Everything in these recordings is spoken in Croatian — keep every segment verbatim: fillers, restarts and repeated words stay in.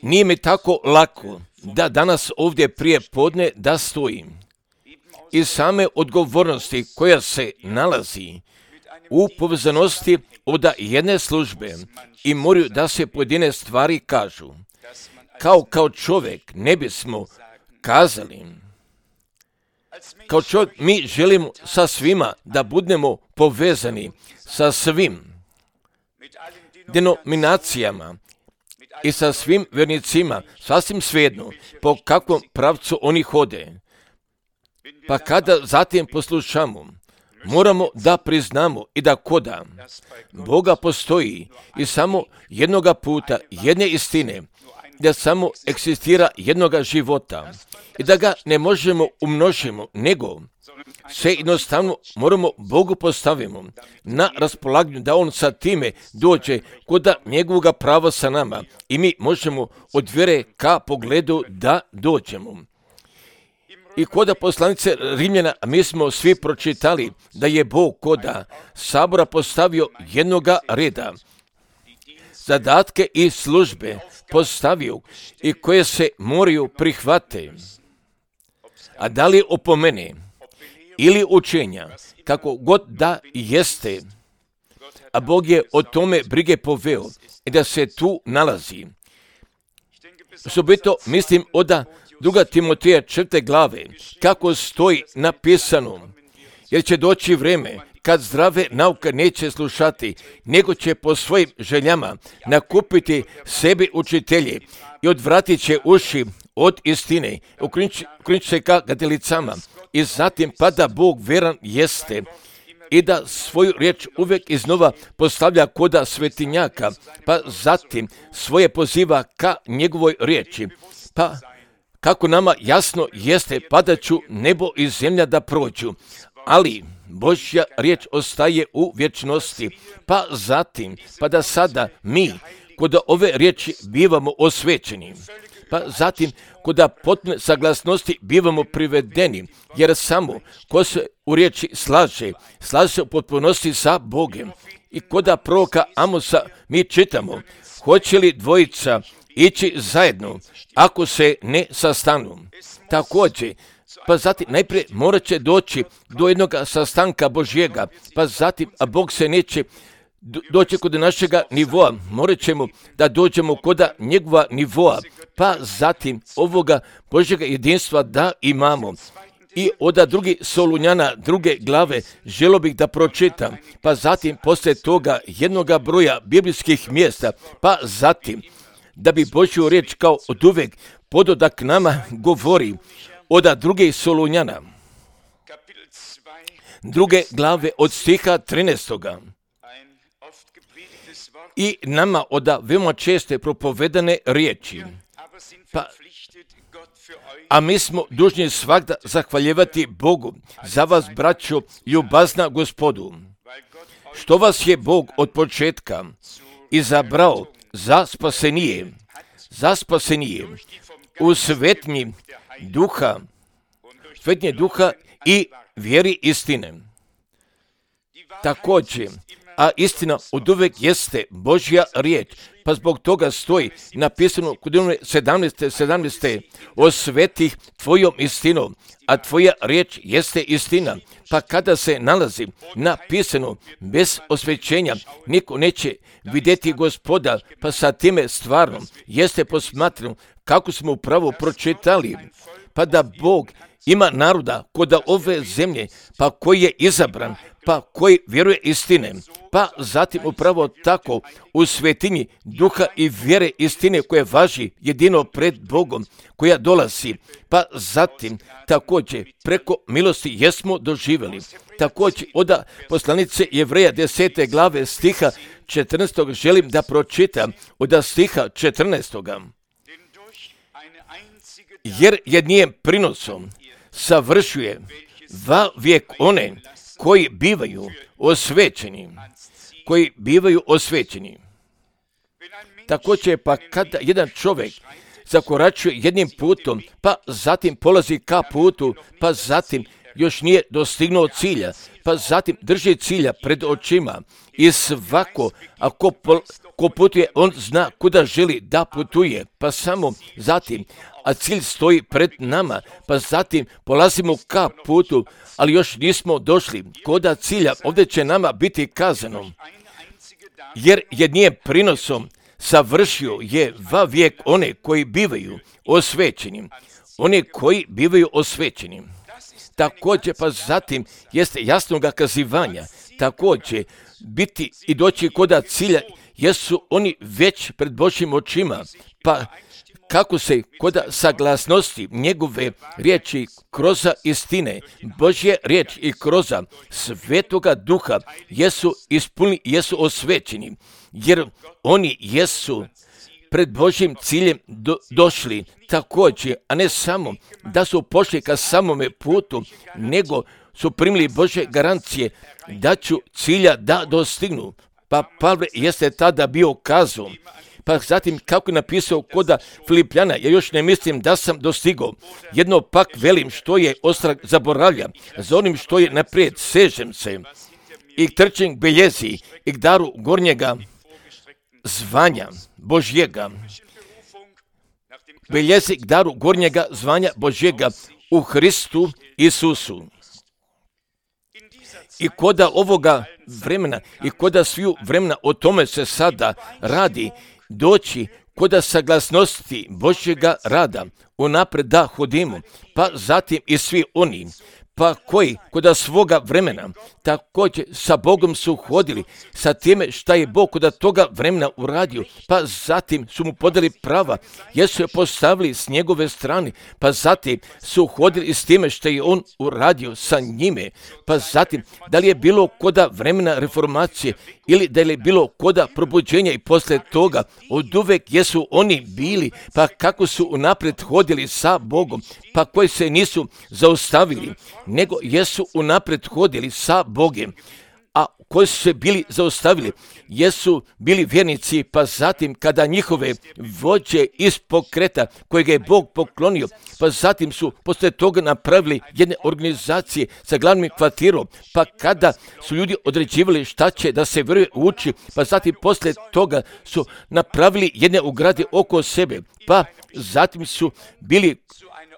Nije mi tako lako da danas ovdje prije podne da stojim. Iz same odgovornosti koja se nalazi u povezanosti od jedne službe i moraju da se pojedine stvari kažu. Kao kao čovjek ne bismo kazali. Kao čovjek mi želimo sa svima da budemo povezani sa svim denominacijama i sa svim vjernicima, sasvim svejedno po kakvom pravcu oni hode. Pa kada zatim poslušamo, moramo da priznamo i da koda Boga postoji i samo jednoga puta, jedne istine, da samo eksistira jednoga života i da ga ne možemo umnožimo, nego se jednostavno moramo Bogu postavimo na raspolaganju da On sa time dođe koda njegovoga prava sa nama i mi možemo od vjere ka pogledu da dođemo. I koda poslanice Rimljana, mi smo svi pročitali da je Bog koda sabora postavio jednoga reda, zadatke i službe postavio i koje se moraju prihvate. A da li opomene ili učenja, kako god da jeste, a Bog je o tome brige poveo i da se tu nalazi. Osobito mislim oda druga Timoteja četvrte glave, kako stoji napisano, jer će doći vrijeme kad zdrave nauke neće slušati, nego će po svojim željama nakupiti sebi učitelje i odvratit će uši od istine, okrenut se ka gadalicama i zatim pa da Bog veran jeste i da svoju riječ uvijek iznova postavlja koda svetinjaka, pa zatim svoje poziva ka njegovoj riječi, pa kako nama jasno jeste, padaću nebo i zemlja da prođu, ali Božja riječ ostaje u vječnosti, pa zatim, pa da sada mi kod ove riječi bivamo osvećeni, pa zatim kod potpune saglasnosti bivamo privedeni, jer samo ko se u riječi slaže, slaže se u potpunosti sa Bogom. I kod proroka Amosa mi čitamo, hoće li dvojica ići zajedno ako se ne sastanu. Također, pa zatim najprije morat će doći do jednog sastanka Božjega, pa zatim, a Bog se neće doći kod našega nivoa, morat ćemo da dođemo kod njegova nivoa, pa zatim ovoga Božjega jedinstva da imamo. I od drugi Solunjana druge glave želo bih da pročitam, pa zatim poslije toga jednoga broja biblijskih mjesta, pa zatim da bi Božju riječ kao od uvek pododak nama govori od druge Solunjana druge glave od stiha trinaestoga. I nama od veoma česte propovedane riječi. Pa, a mi smo dužni svakda zahvaljivati Bogu za vas, braćo, ljubazna Gospodu, što vas je Bog od početka izabrao za spasenije, za spasenije u svetnji duha, svetnje duha i vjeri istine. Također, a istina od uvek jeste Božja riječ, pa zbog toga stoji napisano kod sedamnaeste sedamnaeste osvetih tvojom istinom, a tvoja riječ jeste istina. Pa kada se nalazi napisano bez osvećenja, niko neće vidjeti Gospoda, pa sa time stvarno jeste posmatrano kako smo upravo pročitali, pa da Bog ima naroda kod ove zemlje, pa koji je izabran, pa koji vjeruje istine, pa zatim upravo tako u svetinji duha i vjere istine koje važi jedino pred Bogom, koja dolazi, pa zatim također preko milosti jesmo doživjeli. Također od poslanice Jevreja desete glave stiha četrnaestog želim da pročitam od stiha četrnaestog. Jer jednim prinosom savršuje va vijek one koji bivaju osvećeni, koji bivaju osvećeni. Također pa kada jedan čovjek zakoračuje jednim putom, pa zatim polazi ka putu, pa zatim još nije dostignuo cilja, pa zatim drži cilja pred očima i svako, ako po, ko putuje, on zna kuda želi da putuje, pa samo zatim, a cilj stoji pred nama, pa zatim polazimo ka putu, ali još nismo došli koda cilja, ovdje će nama biti kazano, jer je nije prinosom savršio je va vijek one koji bivaju osvećeni, one koji bivaju osvećeni. Također, pa zatim jeste jasnoga kazivanja, također biti i doći koda cilja, jesu oni već pred Božjim očima, pa kako se koda saglasnosti njegove riječi kroza istine, Božje riječ i kroza Svetoga Duha jesu ispunili, jesu osvećeni, jer oni jesu pred Božjim ciljem do, došli također, a ne samo da su pošli ka samome putu, nego su primili Božje garancije da ću cilja da dostignu. Pa Pavle jeste tada bio kazao, pa zatim kako je napisao koda Filipljana, ja još ne mislim da sam dostigao. Jedno pak velim što je ostrag zaboravlja, za onim što je naprijed sežem se i trčim k beljezi i k daru gornjega zvanja Božjega. Beljezi k daru gornjega zvanja Božjega u Hristu Isusu. I koda ovoga vremena i koda sviju vremena o tome se sada radi, doći koda saglasnosti Božjega rada unapred da hodimo, pa zatim i svi oni, pa koji koda svoga vremena također sa Bogom su hodili, sa time šta je Bog koda toga vremena uradio, pa zatim su mu podali prava, jer su je postavili s njegove strane, pa zatim su hodili s time što je on uradio sa njime, pa zatim da li je bilo koda vremena reformacije ili da li je bilo koda probuđenja i posle toga, od uvek jesu oni bili, pa kako su unapred hodili sa Bogom, pa koji se nisu zaustavili, nego jesu unapred hodili sa Bogem, a koji su se bili zaustavili, jesu bili vjernici, pa zatim kada njihove vođe iz pokreta kojega je Bog poklonio, pa zatim su posle toga napravili jedne organizacije sa glavnim kvartirom, pa kada su ljudi određivali šta će da se vjeruje uči, pa zatim posle toga su napravili jedne ugrade oko sebe, pa zatim su bili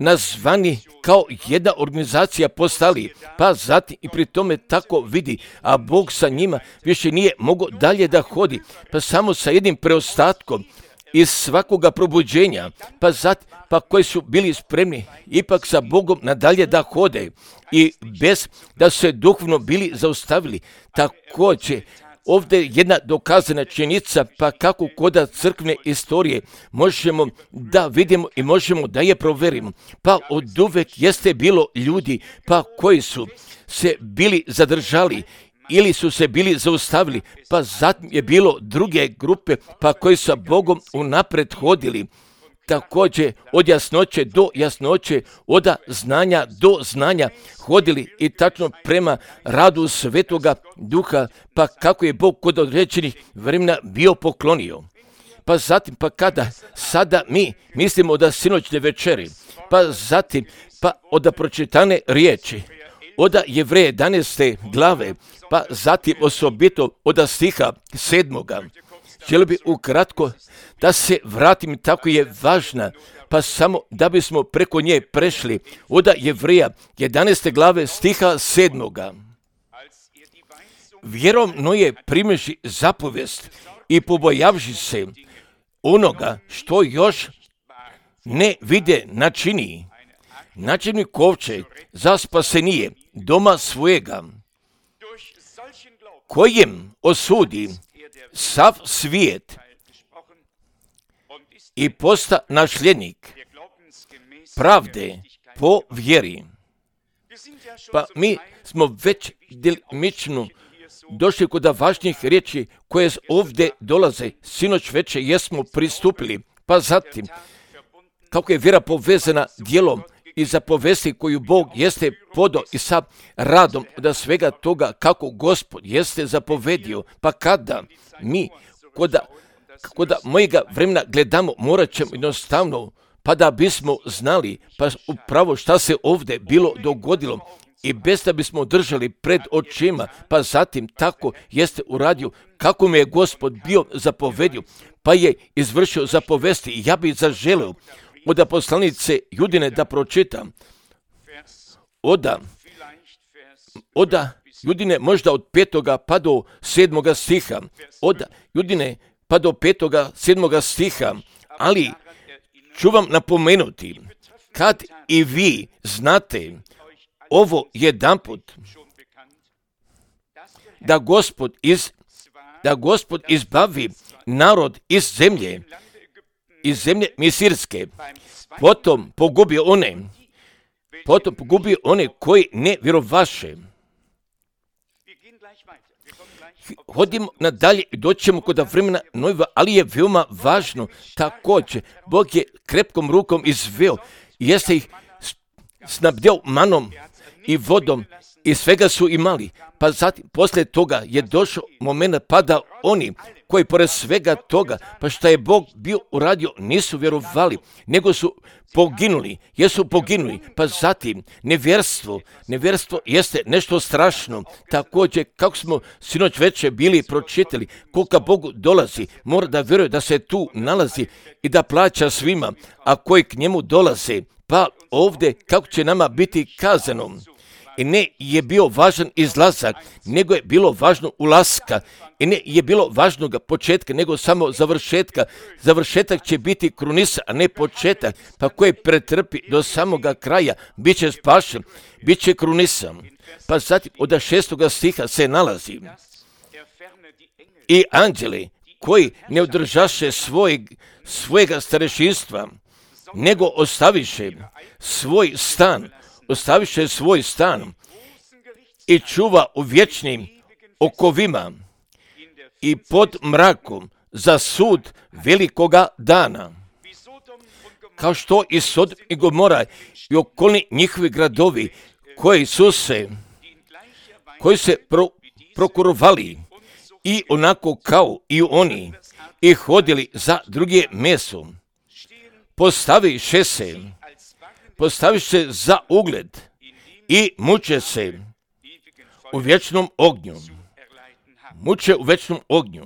nazvani kao jedna organizacija postali, pa zatim i pri tome tako vidi, a Bog sa njima više nije mogao dalje da hodi, pa samo sa jednim preostatkom iz svakoga probuđenja, pa zatim, pa koji su bili spremni ipak sa Bogom nadalje da hode i bez da su se duhovno bili zaustavili. Također, ovdje je jedna dokazana činjenica, pa kako koda crkvene istorije možemo da vidimo i možemo da je proverimo. Pa od uvek jeste bilo ljudi, pa koji su se bili zadržali ili su se bili zaustavili, pa zatim je bilo druge grupe, pa koji sa Bogom unapred hodili. Također od jasnoće do jasnoće, od znanja do znanja hodili i tačno prema radu Svetoga Duha, pa kako je Bog kod određenih vremena bio poklonio. Pa zatim, pa kada sada mi mislimo da sinoćne večeri, pa zatim, pa od pročitane riječi, od Jevreje jedanaeste glave, pa zatim osobito od stiha sedmoga. Želio bi ukratko da se vratim, tako je važna, pa samo da bismo preko nje prešli od Jevreja jedanaeste glave stiha sedmoga. Vjerom Noje primeši zapovijest i pobojavši se onoga što još ne vide načini, načini kovčeg za spasenije doma svojega, kojem osudi sav svijet i posta nasljednik pravde po vjeri. Pa mi smo već djelimično došli kod važnijih riječi koje ovdje dolaze. Sinoć večer jesmo pristupili, pa zatim kako je vjera povezana djelom i zapovesti koju Bog jeste podao i sa radom da svega toga kako Gospod jeste zapovedio, pa kada mi koda, koda mojega vremena gledamo, morat ćemo jednostavno, pa da bismo znali pa upravo šta se ovdje bilo dogodilo i bez da bismo držali pred očima, pa zatim tako jeste uradio kako me je Gospod bio zapovedio, pa je izvršio zapovesti. I ja bih zaželeo od poslanice Judine da pročitam. Oda, oda Judine možda od petoga pa do sedmoga stiha. Od Judine pa do petoga, sedmoga stiha. Ali ću vam napomenuti, kad i vi znate ovo jedanput, da Gospod iz, da Gospod izbavi narod iz zemlje, iz zemlje Misirske, potom pogubio one, potom pogubio one koji ne vjerovaše. Hodimo nadalje i doćemo kod vremena Nojeva, ali je veoma važno također. Bog je krepkom rukom izveo i jeste ih snabdeo manom i vodom i svega su imali. Pa zatim, poslije toga je došao moment pada oni koji pored svega toga, pa šta je Bog bio uradio, nisu vjerovali, nego su poginuli, jesu poginuli. Pa zatim, nevjerstvo, nevjerstvo jeste nešto strašno. Također, kako smo sinoć večer bili pročitali, koliko Bogu dolazi, mora da vjeruje da se tu nalazi i da plaća svima, a koji k njemu dolaze. Pa ovdje, kako će nama biti kazano, i ne je bio važan izlazak, nego je bilo važno ulaska. I ne je bilo važnog početka, nego samo završetka. Završetak će biti krunisa, a ne početak. Pa koji pretrpi do samoga kraja, bit će spašen, bit će krunisa. Pa zatim od šestoga stiha se nalazi. I anđeli koji ne održaše svoj, svojega starešinstva, nego ostaviše svoj stan, ostaviše svoj stan i čuva u vječnim okovima i pod mrakom za sud velikoga dana. Kao što i Sodom i Gomora i okolni njihovi gradovi koji su se, koji se pro, prokurovali i onako kao i oni i hodili za druge meso, postaviše se, postaviše za ugled i muče se u vječnom ognju. Muče u vječnom ognju.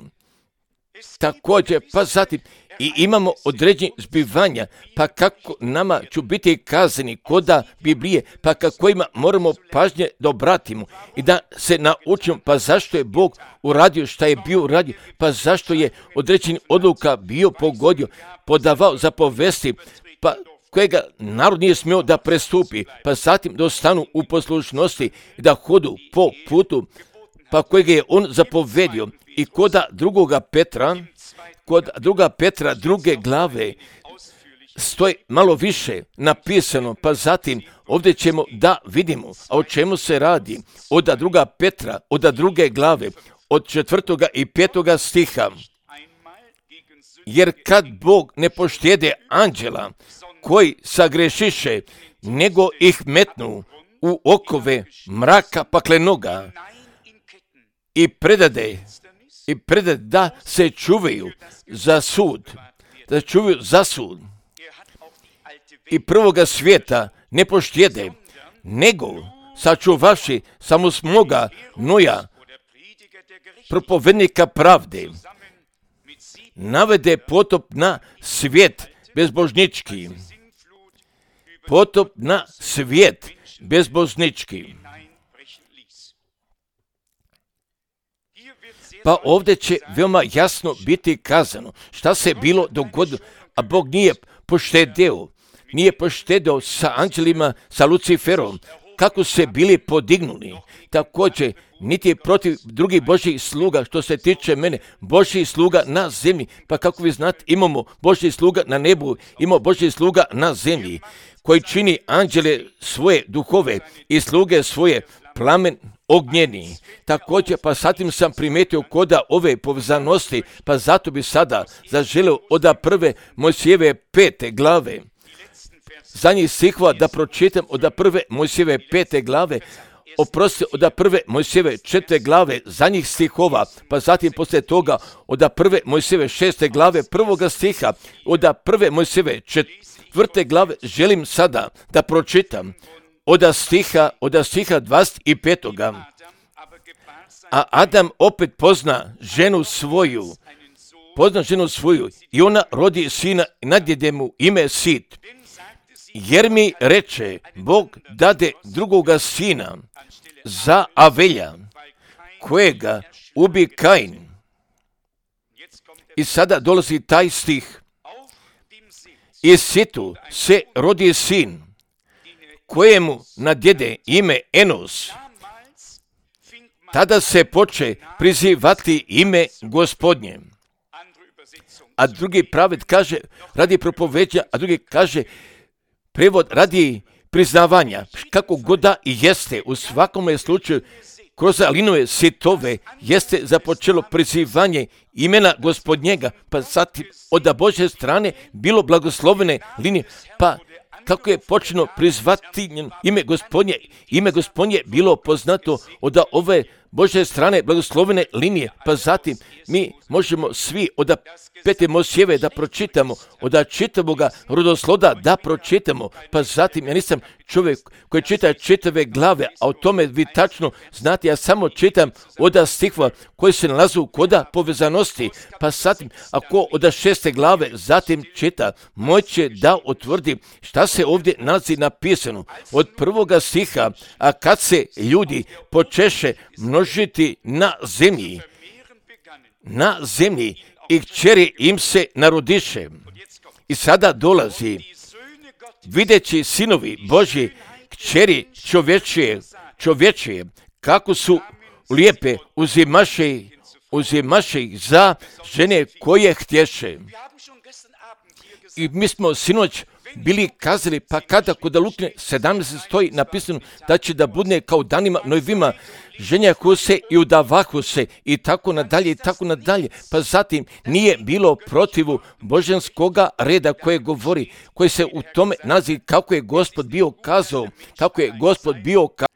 Također, pa zatim, i imamo određenje zbivanja, pa kako nama ću biti kazani koda Biblije, pa kako ima moramo pažnje da obratimo i da se naučimo, pa zašto je Bog uradio šta je bio uradio, pa zašto je određeni odluka bio pogodio, podavao zapovesti, pa kojega narod nije smio da prestupi, pa zatim da ostanu u poslušnosti i da hodu po putu, pa kojega je on zapovedio. I koda drugoga Petra, kod druga Petra druge glave stoji malo više napisano, pa zatim ovdje ćemo da vidimo, a o čemu se radi. Od druga Petra, od druge glave, od četvrtoga i petoga stiha. Jer kad Bog ne poštede anđela koji sagrešiše, nego ih metnu u okove mraka paklenoga i predade, i predade da se čuvaju za sud, da čuvaju za sud. I prvoga svijeta ne poštede, nego sačuvaši samo smoga Noja, propovednika pravde, navede potop na svijet bezbožnički. Potop na svijet bezbožnički. Pa ovdje će veoma jasno biti kazano šta se bilo dogodilo, a Bog nije poštedeo, nije poštedeo sa anđelima, sa Luciferom, kako se bili podignuli. Također, niti je protiv drugih Božjih sluga, što se tiče mene, Božjih sluga na zemlji. Pa kako vi znate, imamo Božjih sluga na nebu, imamo Božjih sluga na zemlji, koji čini anđele svoje duhove i sluge svoje plamen ognjeni. Također, pa satim sam primetio koda ove povezanosti, pa zato bi sada zaželeo od prve Mojsijeve pete glave. Za njih stihova da pročitam od prve Mojsijeve pete glave, oprosti od prve Mojsijeve četvrte glave, za njih stihova, pa zatim poslije toga od prve Mojsijeve šeste glave, prvoga stiha, od prve Mojsijeve četvrte glave želim sada da pročitam od stiha, od stiha dvadeset pet. A Adam opet pozna ženu svoju, pozna ženu svoju i ona rodi sina i nadjede mu ime Sit. Jer mi reče, Bog dade drugoga sina za Avelja, kojega ubi Kain. I sada dolazi taj stih. I Situ se rodi sin, kojemu nadjede ime Enos. Tada se poče prizivati ime Gospodnje. A drugi prevod kaže radi propoveđa, a drugi kaže prevod radi priznavanja. Kako god da i jeste, u svakom slučaju, kroz Alinove Sitove jeste započelo prizivanje imena Gospodnjega, pa zatim od Božje strane bilo blagoslovene linije, pa kako je počeno prizvati ime Gospodnje, ime Gospodnje bilo poznato od ove Božje strane blagoslovene linije, pa zatim mi možemo svi od pete Mojsijeve da pročitamo, od čitavoga rodosloda da pročitamo, pa zatim ja nisam čovjek koji čita čitave glave, a o tome vi tačno znate, ja samo čitam od stihova koji se nalazu koda povezanosti, pa zatim ako od šeste glave zatim čita, moće da utvrdi šta se ovdje nalazi napisano. Od prvoga stiha, a kad se ljudi počeše množiti na zemlji, na zemlji i kćeri im se narodiše. I sada dolazi, videći sinovi Božji, kćeri čovječije, čovječije, kako su lijepe, uzimaše, uzimaše ih za žene koje htješe. I mi smo sinoć bili kazali, pa kada kod Luke sedamnaest stoji napisano da će da bude kao danima Nojevima, ženjahu se i udavahu se i tako nadalje i tako nadalje. Pa zatim nije bilo protivu božanskoga reda koje govori, koji se u tome nalazi kako je Gospod bio kazao, kako je Gospod bio kazao.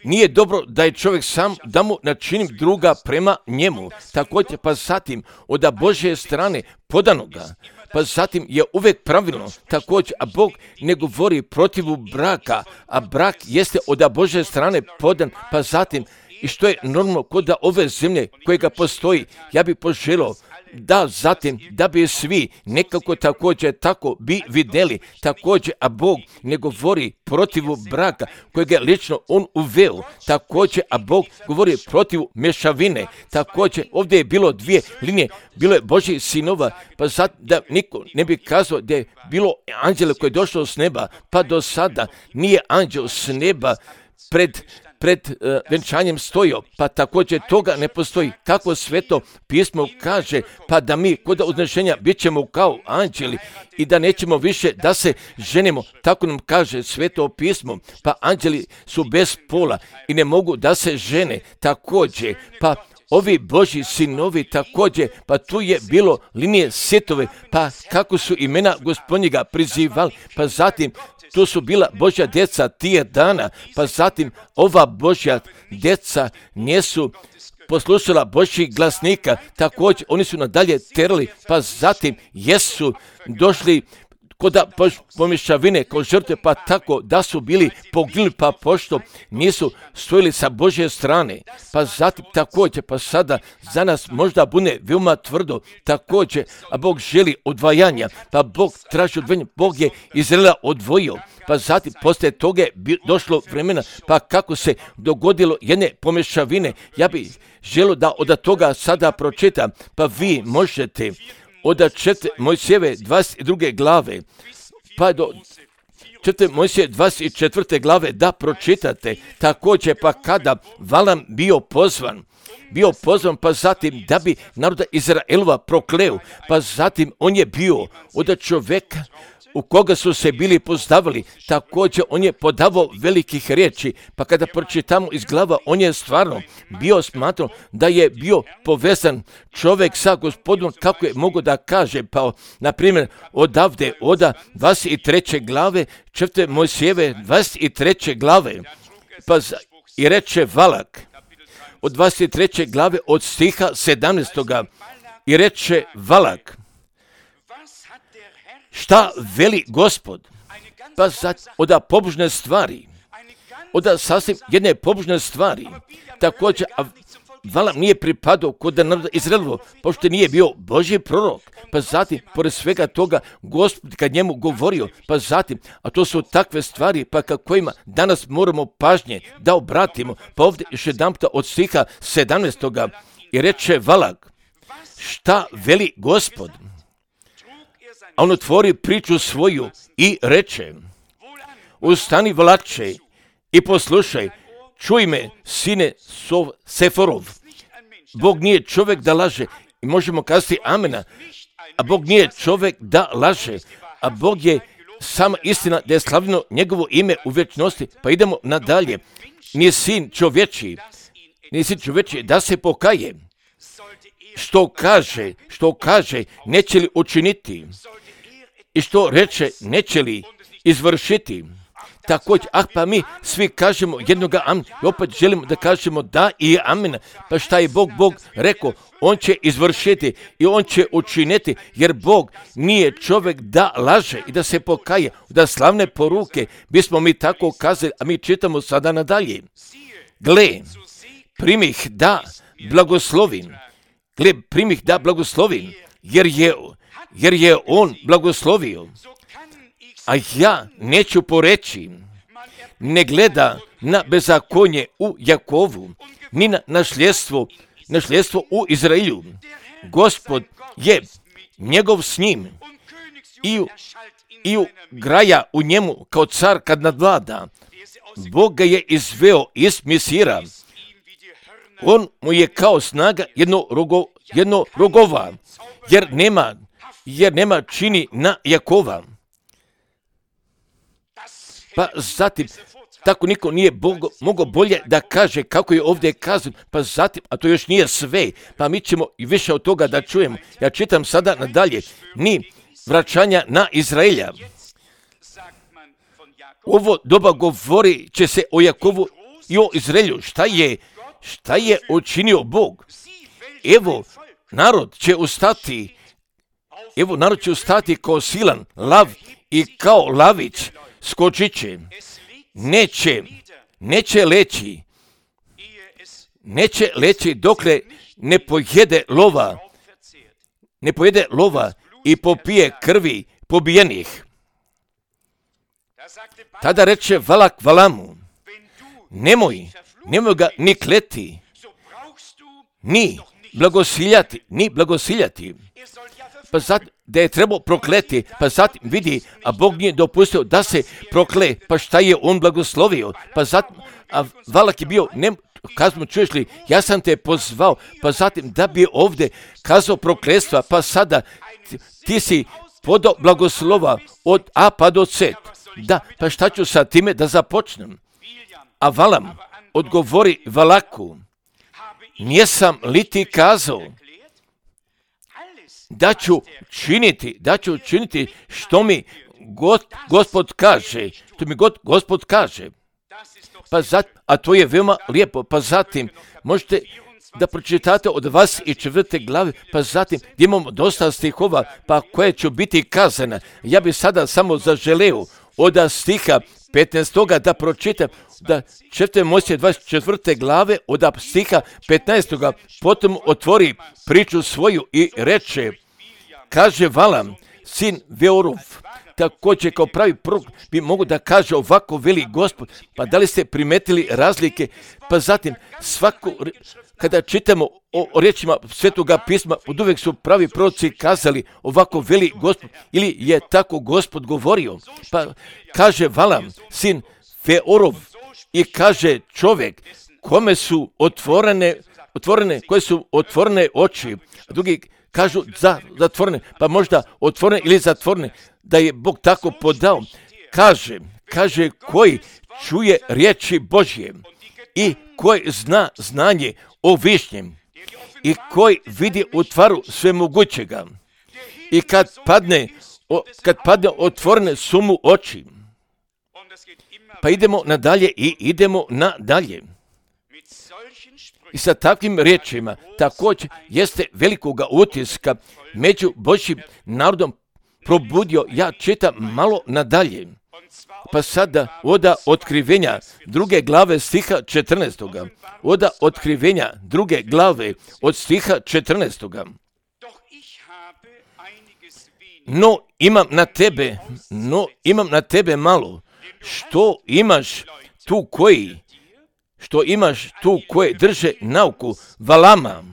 Nije dobro da je čovjek sam da mu načinim druga prema njemu. Također pa zatim od Božje strane podanoga, pa zatim je uvijek pravilno, također, a Bog ne govori protivu braka, a brak jeste od Božje strane podan, pa zatim, i što je normalno kod ove zemlje kojega postoji, ja bih poželio da zatim, da bi svi nekako također tako bi vidjeli, također, a Bog ne govori protivu braka kojega je lično on uveo, također, a Bog govori protivu mješavine, također, ovdje je bilo dvije linije, bilo je Božjih sinova, pa sad da niko ne bi kazao da je bilo anđele koje je došlo s neba, pa do sada nije anđel s neba pred pred uh, venčanjem stojio, pa također toga ne postoji. Kako Sveto pismo kaže, pa da mi kod uznešenja bit ćemo kao anđeli i da nećemo više da se ženimo, tako nam kaže Sveto pismo, pa anđeli su bez pola i ne mogu da se žene, također, pa ovi Božji sinovi također, pa tu je bilo linije Sitove, pa kako su imena Gospodnjega prizivali, pa zatim to su bila Božja djeca tije dana, pa zatim ova Božja djeca nisu poslušala Božjih glasnika, također oni su nadalje terali, pa zatim jesu došli kod pomješavine, kod žrtve, pa tako da su bili poginuli, pa pošto nisu stojili sa Božje strane, pa zatim također, pa sada za nas možda bude veoma tvrdo, također, a Bog želi odvajanja, pa Bog traži odvajanje, Bog je Izraela odvojio, pa zatim poslije toga je došlo vremena, pa kako se dogodilo jedne pomješavine, ja bih želio da od toga sada pročitam, pa vi možete od četiri Mojsijeve dvadeset druge glave, pa do četiri Mojsije dvadeset četvrte glave da pročitate, također pa kada Valam bio pozvan, bio pozvan, pa zatim da bi naroda Izraelova prokleo, pa zatim on je bio od čovjeka u koga su se bili pozdavali, također on je podavao velikih riječi, pa kada pročitamo iz glava, on je stvarno bio smatrao da je bio povezan čovjek sa Gospodom, kako je mogo da kaže, pa na primjer odavde, oda dvadeset treće glave, četiri Mojsijeve dvadeset treće glave, pa i reče Valak, od dvadeset treće glave od stiha sedamnaestoga i reče Valak, šta veli Gospod? Pa sad od pobožne stvari, od sasvim jedne pobožne stvari. Također, a Valam nije pripadao kod naroda Izraelovo, pošto nije bio Božji prorok. Pa zatim, pored svega toga, Gospod kad njemu govorio, pa zatim, a to su takve stvari, pa ka kojima danas moramo pažnje da obratimo. Pa ovdje još jedan puta od stiha sedamnaestoga i reče Valak, šta veli Gospod? A on otvori priču svoju i reče, ustani Valače i poslušaj, čuj me, sine Sov Seforov. Bog nije čovjek da laže. I možemo kazati amena. A Bog nije čovjek da laže. A Bog je sama istina da je slavljeno njegovo ime u vječnosti. Pa idemo nadalje. Nije sin čovječiji. Nije sin čovječiji da se pokaje. Što kaže, što kaže, neće li učiniti. I što reče, neće li izvršiti. Također, ah pa mi svi kažemo jednoga amen i opet želimo da kažemo da i amen. Pa šta je Bog, Bog rekao, on će izvršiti i on će učiniti, jer Bog nije čovjek da laže i da se pokaje, da slavne poruke, bismo mi tako kazali, a mi čitamo sada nadalje. Gle, primih da blagoslovim, gle, primih da blagoslovim, jer je, jer je on blagoslovio. A ja neću poreći, ne gleda na bezakonje u Jakovu, ni na nasljedstvo, nasljedstvo u Izraelju. Gospod je njegov s njim i, i u graja u njemu kao car kad nadvlada. Bog ga je izveo iz Misira. On mu je kao snaga jedno, rogo, jedno rogova, jer nema, jer nema čini na Jakova. Pa zatim, tako niko nije Bogo, mogao bolje da kaže kako je ovdje kazano, pa zatim, a to još nije sve, pa mi ćemo i više od toga da čujemo. Ja čitam sada nadalje, ni vraćanja na Izraelja. Ovo doba govori će se o Jakovu i o Izraelju. Šta je, šta je učinio Bog? Evo, narod će ustati, evo, narod će ustati kao silan lav i kao lavić. Skočit će, neće, neće leći, neće leći dokle ne pojede lova, ne pojede lova i popije krvi pobijenih. Tada reče Valak Valamu, nemoj, nemoj ga ni kleti, ni blagosiljati, ni blagosiljati. Pa zatim, da je trebao prokleti, pa zatim vidi, a Bog nije dopustio da se prokle, pa šta je on blagoslovio, pa zatim, a Valak je bio, ne, kazmo, čuješ li, ja sam te pozvao, pa zatim da bi ovdje kazao prokletstva, pa sada ti, ti si podao blagoslova od A pa do C. Da, pa šta ću sa time da započnem? A Valam odgovori Valaku, nisam li ti kazao da ću činiti, da ću činiti što mi God, Gospod kaže, što mi God, Gospod kaže. Pa zatim, a to je veoma lijepo, pa zatim možete da pročitate od vas i četvrte glave, pa zatim gdje imamo dosta stihova, pa koje će biti kazane. Ja bih sada samo zaželeo od stiha petnaestoga da pročitam, da četvrte Mojsije dvadeset četvrte glave od stiha petnaestoga potom otvori priču svoju i reče, kaže Valam, sin Beorov, također kao pravi prorok bi mogu da kaže ovako veli Gospod. Pa da li ste primetili razlike? Pa zatim svako, kada čitamo o, o riječima Svetoga pisma, od uvijek su pravi proroci kazali ovako veli Gospod, ili je tako Gospod govorio. Pa kaže Valam, sin Beorov, i kaže čovjek kome su otvorene, otvorene, koje su otvorene oči, a drugi kažu za, zatvorene, pa možda otvorene ili zatvorene, da je Bog tako podao. Kaže, kaže koji čuje riječi Božje i koji zna znanje o višnjem i koji vidi u tvaru svemogućega i kad padne, o, kad padne otvorene su mu oči. Pa idemo nadalje i idemo nadalje. I sa takvim riječima također jeste velikoga utiska među Božjim narodom probudio. Ja čitam malo nadalje. Pa sada oda otkrivenja druge glave stiha četrnaestoga. Oda otkrivenja druge glave od stiha četrnaestoga. No imam na tebe, no imam na tebe malo. Što imaš tu koji, što imaš tu koje drže nauku Valama,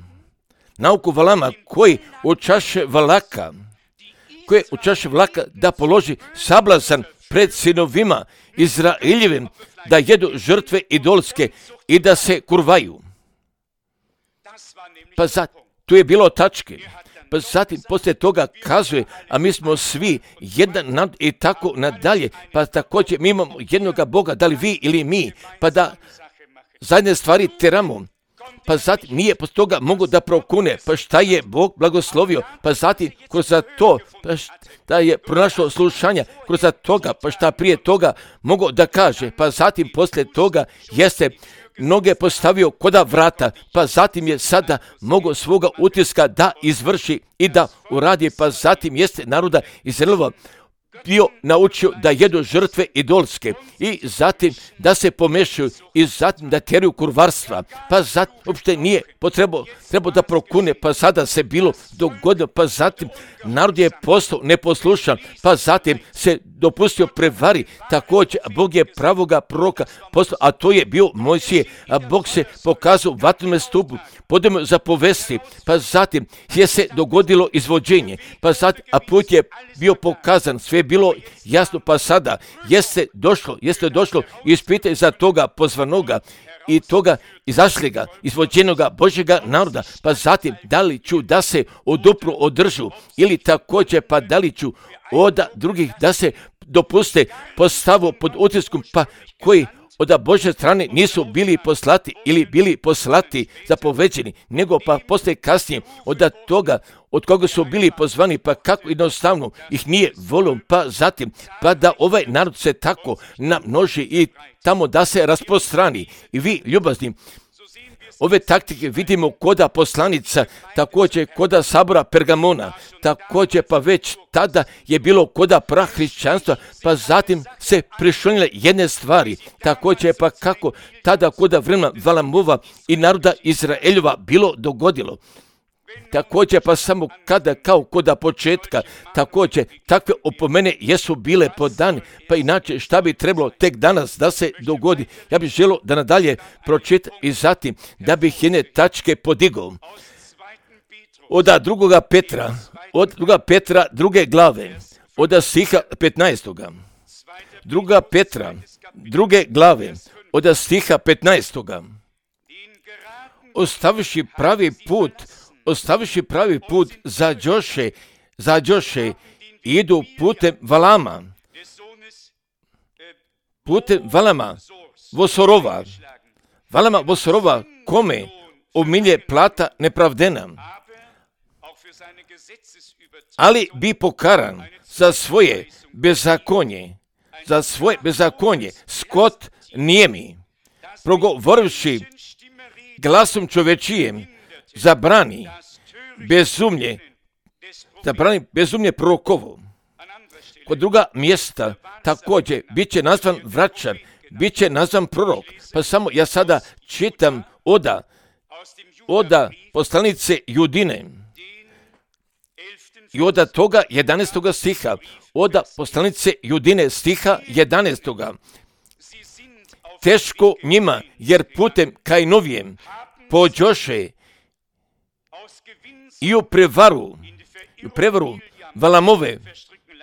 nauku Valama koji u čaše Valaka, koje u čaše Valaka da položi sablazan pred sinovima Izraeljevim, da jedu žrtve idolske i da se kurvaju. Pa za, tu je bilo tačke. Pa zatim poslije toga kazuje, a mi smo svi jedan nad i tako nadalje, pa također mi imamo jednoga Boga, da li vi ili mi, pa da zajedne stvari teramo. Pa zatim nije poslije toga mogu da prokune, pa šta je Bog blagoslovio, pa zatim kroz to, pa šta je pronašlo slušanja, kroz toga, pa šta prije toga mogu da kaže, pa zatim poslije toga jeste noge postavio koda vrata, pa zatim je sada mogo svoga utiska da izvrši i da uradi, pa zatim jeste naroda Izraelova bio naučio da jedu žrtve idolske i zatim da se pomešaju i zatim da tjeraju kurvarstva, pa zatim uopšte nije potrebao trebao da prokune, pa sada se bilo dogodilo, pa zatim narod je postao neposlušan, pa zatim se dopustio prevari, također Bog je pravoga proroka postao, a to je bio Mojsije, a Bog se pokazao u vatrenome stupu, podemo za povesti, pa zatim je se dogodilo izvođenje, pa zatim, a put je bio pokazan, sve je bilo jasno, pa sada jeste došlo, jeste došlo ispite za toga pozvanoga i toga izašljega, izvođenoga Božjega naroda, pa zatim da li ću da se odupru održu ili također pa da li ću od drugih da se dopuste postavu pod utiskom, pa koji od Božje strane nisu bili poslati ili bili poslati zapoveđeni, nego pa poslije kasnije od toga od koga su bili pozvani, pa kako jednostavno ih nije volio, pa zatim pa da ovaj narod se tako namnoži i tamo da se rasprostrani. I vi, ljubazni, ove taktike vidimo koda poslanica, također koda sabora Pergamona, također pa već tada je bilo koda prahrišćanstva, pa zatim se prišonile jedne stvari, također pa kako tada koda vremena Valamova i naroda Izraeljova bilo dogodilo. Također pa samo kada kao koda početka, također takve opomene jesu bile podane, pa inače šta bi trebalo tek danas da se dogodi. Ja bih želio da nadalje pročitam i zatim da bih jedne tačke podigao. Od drugoga Petra, od druga Petra druge glave, od stiha petnaestoga. Druga Petra druge glave, od stiha petnaestoga. Ostaviši pravi put, ostaviši pravi put za Joše, za Joše idu putem Valama, putem Valama, Vosorova, Valama Vosorova, kome umilje plata nepravdena, ali bi pokaran za svoje bezakonje, za svoje bezakonje, skot nijemi, progovorivši glasom čovečijem, zabrani bezumlje, zabrani bezumlje prorokovo. Kod druga mjesta također bit će nazvan vraćar, bit će nazvan prorok. Pa samo ja sada čitam oda, oda poslanice Judine i oda toga jedanaestoga stiha, oda poslanice Judine stiha jedanaestoga. Teško njima, jer putem Kajnovijem pođoše i u prevaru, i u prevaru Valamove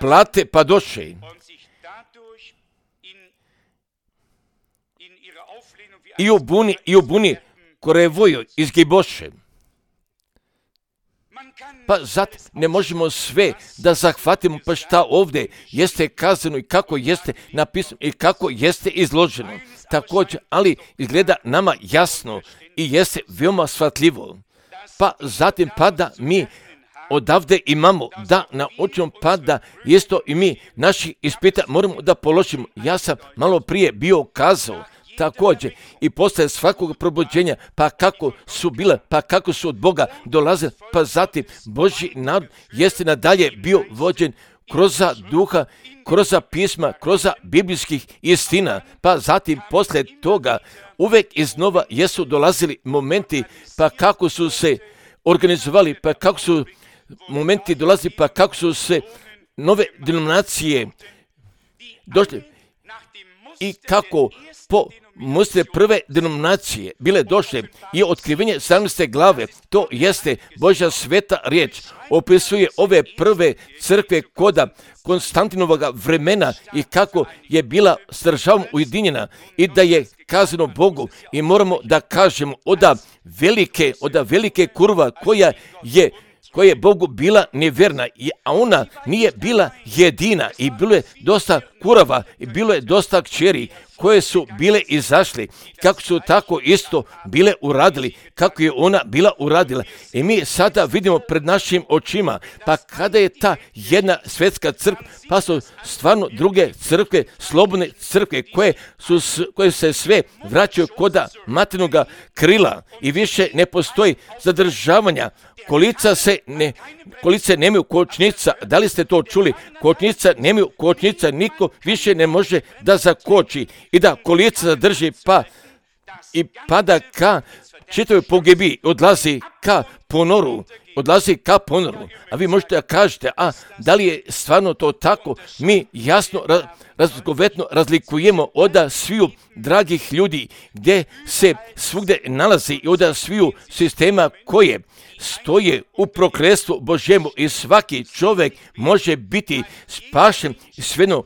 plate padoše i u buni, i u buni Korevoju izgiboše. Pa zato ne možemo sve da zahvatimo, pa šta ovdje jeste kazano i kako jeste napisano i kako jeste izloženo. Također, ali izgleda nama jasno i jeste veoma shvatljivo. Pa zatim pa da mi odavde imamo da naučimo, pa da isto i mi naših ispita moramo da položimo. Ja sam malo prije bio kazao također i posle svakog probuđenja, pa kako su bile, pa kako su od Boga dolazile, pa zatim Božji narod jeste nadalje bio vođen kroz duha, kroz pisma, kroz biblijskih istina, pa zatim posle toga uvek iznova jesu dolazili momenti, pa kako su se organizovali, pa kako su momenti dolazili, pa kako su se nove denominacije došli i kako po musle prve denominacije bile došle i otkrivenje sedamnaeste glave, to jeste Božja sveta riječ, opisuje ove prve crkve koda Konstantinovog vremena i kako je bila s državom ujedinjena i da je kazano Bogu i moramo da kažemo oda velike, oda velike kurva koja je koja je Bogu bila nevjerna, a ona nije bila jedina i bilo je dosta kurava i bilo je dosta kćeri koje su bile izašli, kako su tako isto bile uradili, kako je ona bila uradila. I mi sada vidimo pred našim očima, pa kada je ta jedna svjetska crkva, pa su stvarno druge crkve, slobodne crkve, koje, su, koje se sve vraćaju koda materinoga krila i više ne postoji zadržavanja. Kolica se ne, kolice nemaju kočnica, da li ste to čuli? Kočnica nemaju kočnica, niko više ne može da zakoči i da kolica zadrži pa i pada ka čitavoj pogibi, odlazi ka ponoru, odlazi ka ponoru. A vi možete da kažete, a da li je stvarno to tako? Mi jasno raz, razgovetno razlikujemo oda sviju dragih ljudi gdje se svugde nalazi i oda sviju sistema koje stoje u prokletstvu Božjemu i svaki čovjek može biti spašen svejedno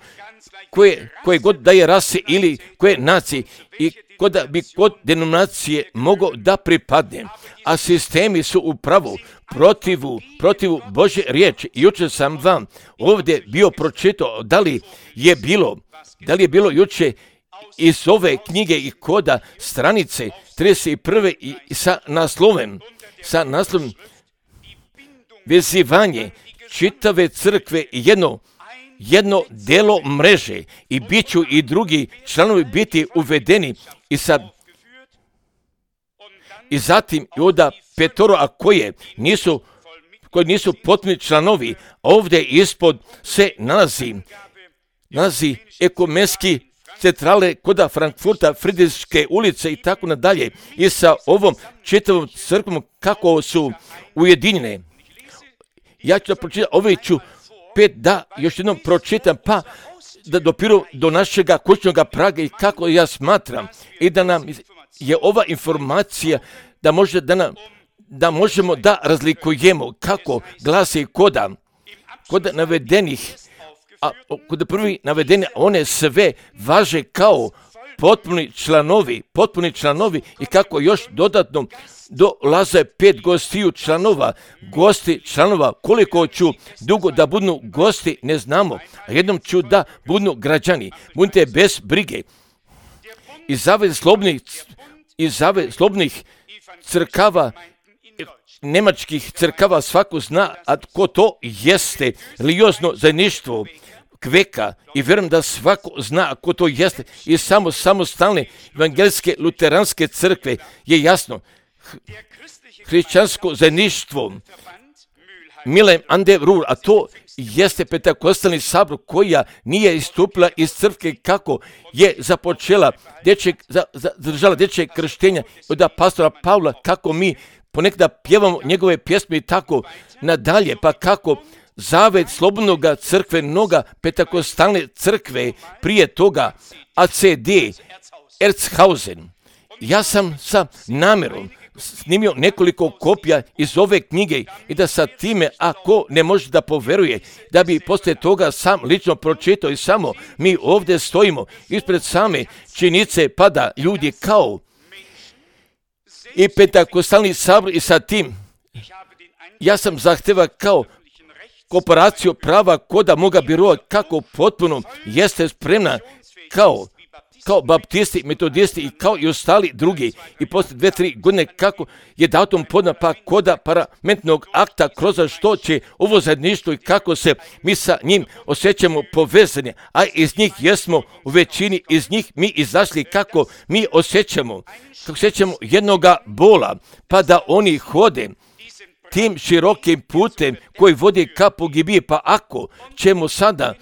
koje, koje god da je rase ili koje nacije i kod bi kod denominacije mogao da pripadne, a sistemi su upravo protivu, protivu Božje riječi. Jučer sam vam ovdje bio pročitao da li je bilo, da li je bilo jučer iz ove knjige i koda stranice trideset prve i sa naslovem, sa naslovom vezivanje čitave crkve jedno jedno delo mreže i bit ću i drugi članovi biti uvedeni i sad i zatim i onda petoro, a koje nisu koji nisu potpuni članovi, ovdje ispod se nalazi nalazi ekumenski centrale koda Frankfurta, Friedrichske ulice i tako nadalje i sa ovom čitavom crkvom kako su ujedinjene. Ja ću da pročitam, ove ću pet da još jednom pročitam, pa da dopiru do našega kućnog praga i kako ja smatram i da nam je ova informacija da može da nam da možemo da razlikujemo kako glasi koda kod navedenih, a kod prvi navedene one sve važe kao potpuni članovi, potpuni članovi i kako još dodatno dolaze pet gostiju članova, gosti članova, koliko ću dugo da budu gosti ne znamo, a jednom ću da budu građani, budite bez brige. Iz zavez slobodnih, iz zavez slobodnih crkava, nemačkih crkava svako zna, a ko to jeste, religiozno zajedništvo kveka i vjerujem da svako zna ko to jeste i samo samostalne evangelske luteranske crkve je jasno. Hrišćansko zajedništvo Milheim an der Ruhr, a to jeste Pentekostalni sabor koja nije istupila iz crkve kako je započela dječjeg, za, zadržala dječje krštenja od pastora Pavla, kako mi ponekada pjevamo njegove pjesme i tako nadalje, pa kako zavet slobodnog crkvenoga Pentekostalne crkve prije toga A C D Erzhausen. Ja sam sa namjerom snimio nekoliko kopija iz ove knjige i da sa time, ako ne može da poveruje, da bi poslije toga sam lično pročitao i samo mi ovdje stojimo ispred same činjenice pa da ljudi kao i Pentekostalni sabor i sa tim ja sam zahteva kao kooperaciju prava koda moga biroa kako potpuno jeste spremna kao kao baptisti, metodisti i kao i ostali drugi i poslije dve, tri godine kako je datum podna pa koda parlamentnog akta kroz što će ovo zajedništvo i kako se mi sa njim osjećamo povezani, a iz njih jesmo u većini, iz njih mi izašli kako mi osjećamo, kako osjećamo jednoga bola, pa da oni hode tim širokim putem koji vodi ka pogibiji, pa ako ćemo sada,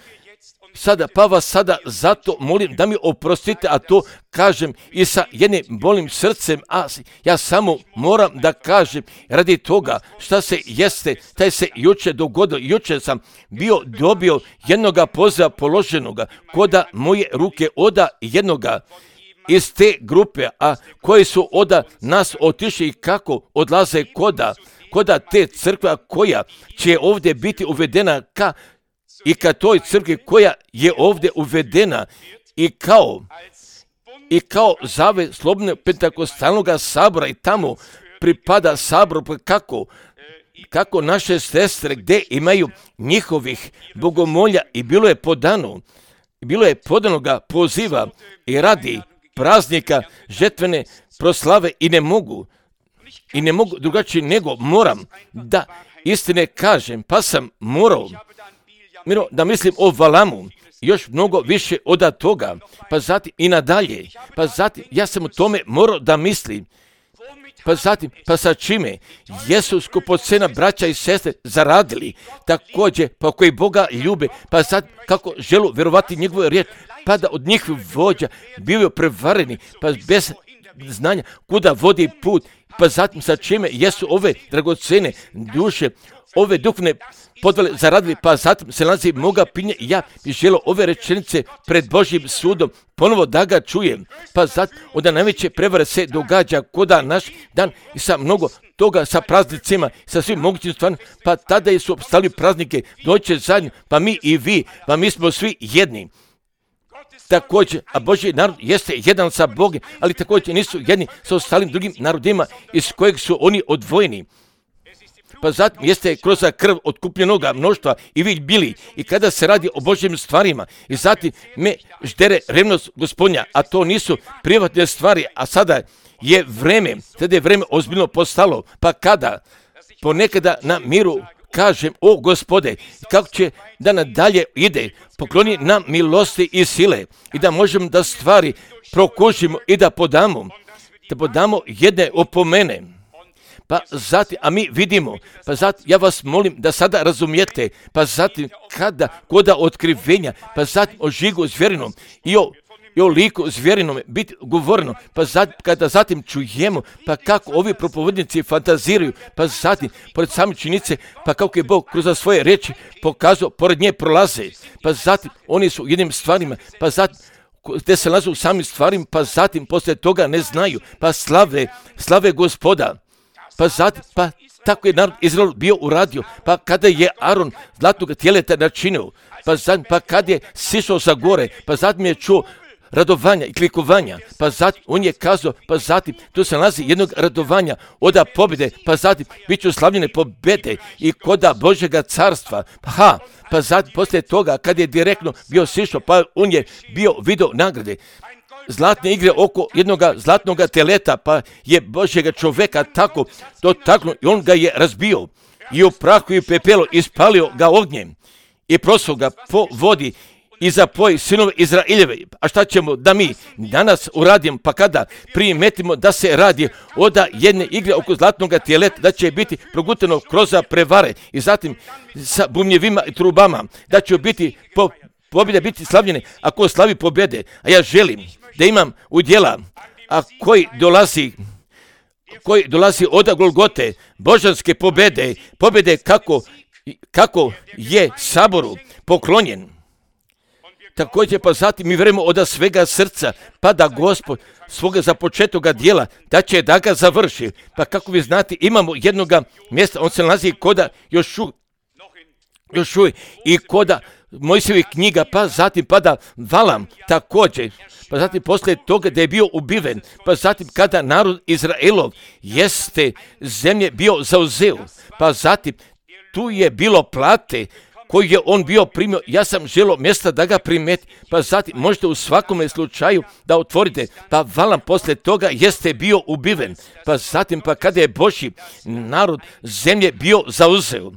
sada, pa vas sada zato molim da mi oprostite, a to kažem i sa jednim bolim srcem, a ja samo moram da kažem radi toga šta se jeste, taj se juče dogodilo. Juče sam bio dobio jednoga poziva položenoga koda moje ruke oda jednoga iz te grupe, a koji su oda nas otišli i kako odlaze koda, koda te crkva koja će ovdje biti uvedena ka i ka toj crkvi koja je ovdje uvedena i kao i kao zave slobodnog pentakostalnog sabora i tamo pripada saboru kako kako naše sestre gdje imaju njihovih bogomolja i bilo je podano bilo je podanoga poziva i radi praznika žetvene proslave i ne mogu i ne mogu drugačije nego moram da istine kažem, pa sam morao Miro, da mislim o Valamu, još mnogo više od toga, pa zatim i nadalje, pa zatim ja sam o tome morao da mislim, pa zatim, pa sa čime jesu skupocena braća i sestre zaradili, također, pa koji Boga ljube, pa zatim kako želu vjerovati njegovu riječ, pa da od njih vođa bivaju prevareni, pa bez znanja kuda vodi put, pa zatim sa čime jesu ove dragocene duše, ove duhovne podvale zaradili, pa zatim se nalazi moga pinje i ja bih želio ove rečenice pred Božjim sudom ponovo da ga čujem. Pa zatim onda najveće prevare se događa koda naš dan i sa mnogo toga sa praznicima, sa svim mogućim stvarima, pa tada su obstali praznike, doće zajedno, pa mi i vi, pa mi smo svi jedni. Također, a Božji narod jeste jedan sa Bogom, ali također nisu jedni sa ostalim drugim narodima iz kojeg su oni odvojeni. Pa zatim jeste kroz krv otkupljenoga mnoštva i vi bili i kada se radi o Božjim stvarima i zatim me ždere revnost Gospodnja, a to nisu privatne stvari, a sada je vreme, sada je vreme ozbiljno postalo, pa kada ponekada na miru kažem, o Gospode, kako će da nadalje ide, pokloni nam milosti i sile i da možemo da stvari prokušimo i da podamo, da podamo jedne opomene. Pa zatim, a mi vidimo, pa zatim, ja vas molim da sada razumijete, pa zatim, kada, koda otkrivenja, pa zatim o žigu zvjerinom i o, i o liku zvjerinom biti govoreno, pa zatim, kada zatim čujemo, pa kako ovi propovednici fantaziraju, pa zatim, pored same činjenice, pa kako je Bog kroz svoje reči pokazao, pored nje prolaze, pa zatim, oni su jednim stvarima, pa zatim, gdje se nalaze u samim stvarima, pa zatim, poslije toga ne znaju, pa slave, slave Gospoda. Pa zatim, pa tako je narod Izrael bio uradio, pa kada je Aron zlatnog tjeleta načinio, pa zatim, pa kad je sišao sa gore, pa zatim je čuo radovanja i klikovanja, pa zatim on je kazao, pa zatim tu se nalazi jednog radovanja oda pobjede, pa zatim bit će slavljene pobjede i koda Božjega carstva, pa ha, pa zatim poslije toga kad je direktno bio sišao, pa on je bio video nagrade. Zlatne igre oko jednog zlatnog teleta, pa je Božjega čoveka tako dotaknuo i on ga je razbio i u prahu i pepelu ispalio ga ognjem i prosao ga po vodi i zapoj sinove Izraeljeve. A šta ćemo da mi danas uradimo, pa kada primetimo da se radi od jedne igre oko zlatnog teleta, da će biti progutano kroz prevare i zatim sa bumljevima i trubama, da će biti po pobjede biti slavljene ako slavi pobjede, a ja želim da imam udjela, a koji dolazi, koji dolazi od Golgote, božanske pobjede, pobjede kako, kako je saboru poklonjen. Također pa zatim mi vjerujemo od svega srca, pa da Gospod svoga započetoga dijela, da će da ga završi. Pa kako vi znate, imamo jednoga mjesta, on se nalazi koda još uvijek, još uvijek i koda Mojsijevih knjiga, pa zatim pada Valam također, pa zatim poslije toga da je bio ubiven, pa zatim kada narod Izraelov jeste zemlje bio zauzeo, pa zatim tu je bilo plate koji je on bio primio, ja sam želio mjesta da ga primeti, pa zatim možete u svakome slučaju da otvorite, pa Valam poslije toga jeste bio ubiven, pa zatim pa kada je Božji narod zemlje bio zauzeo.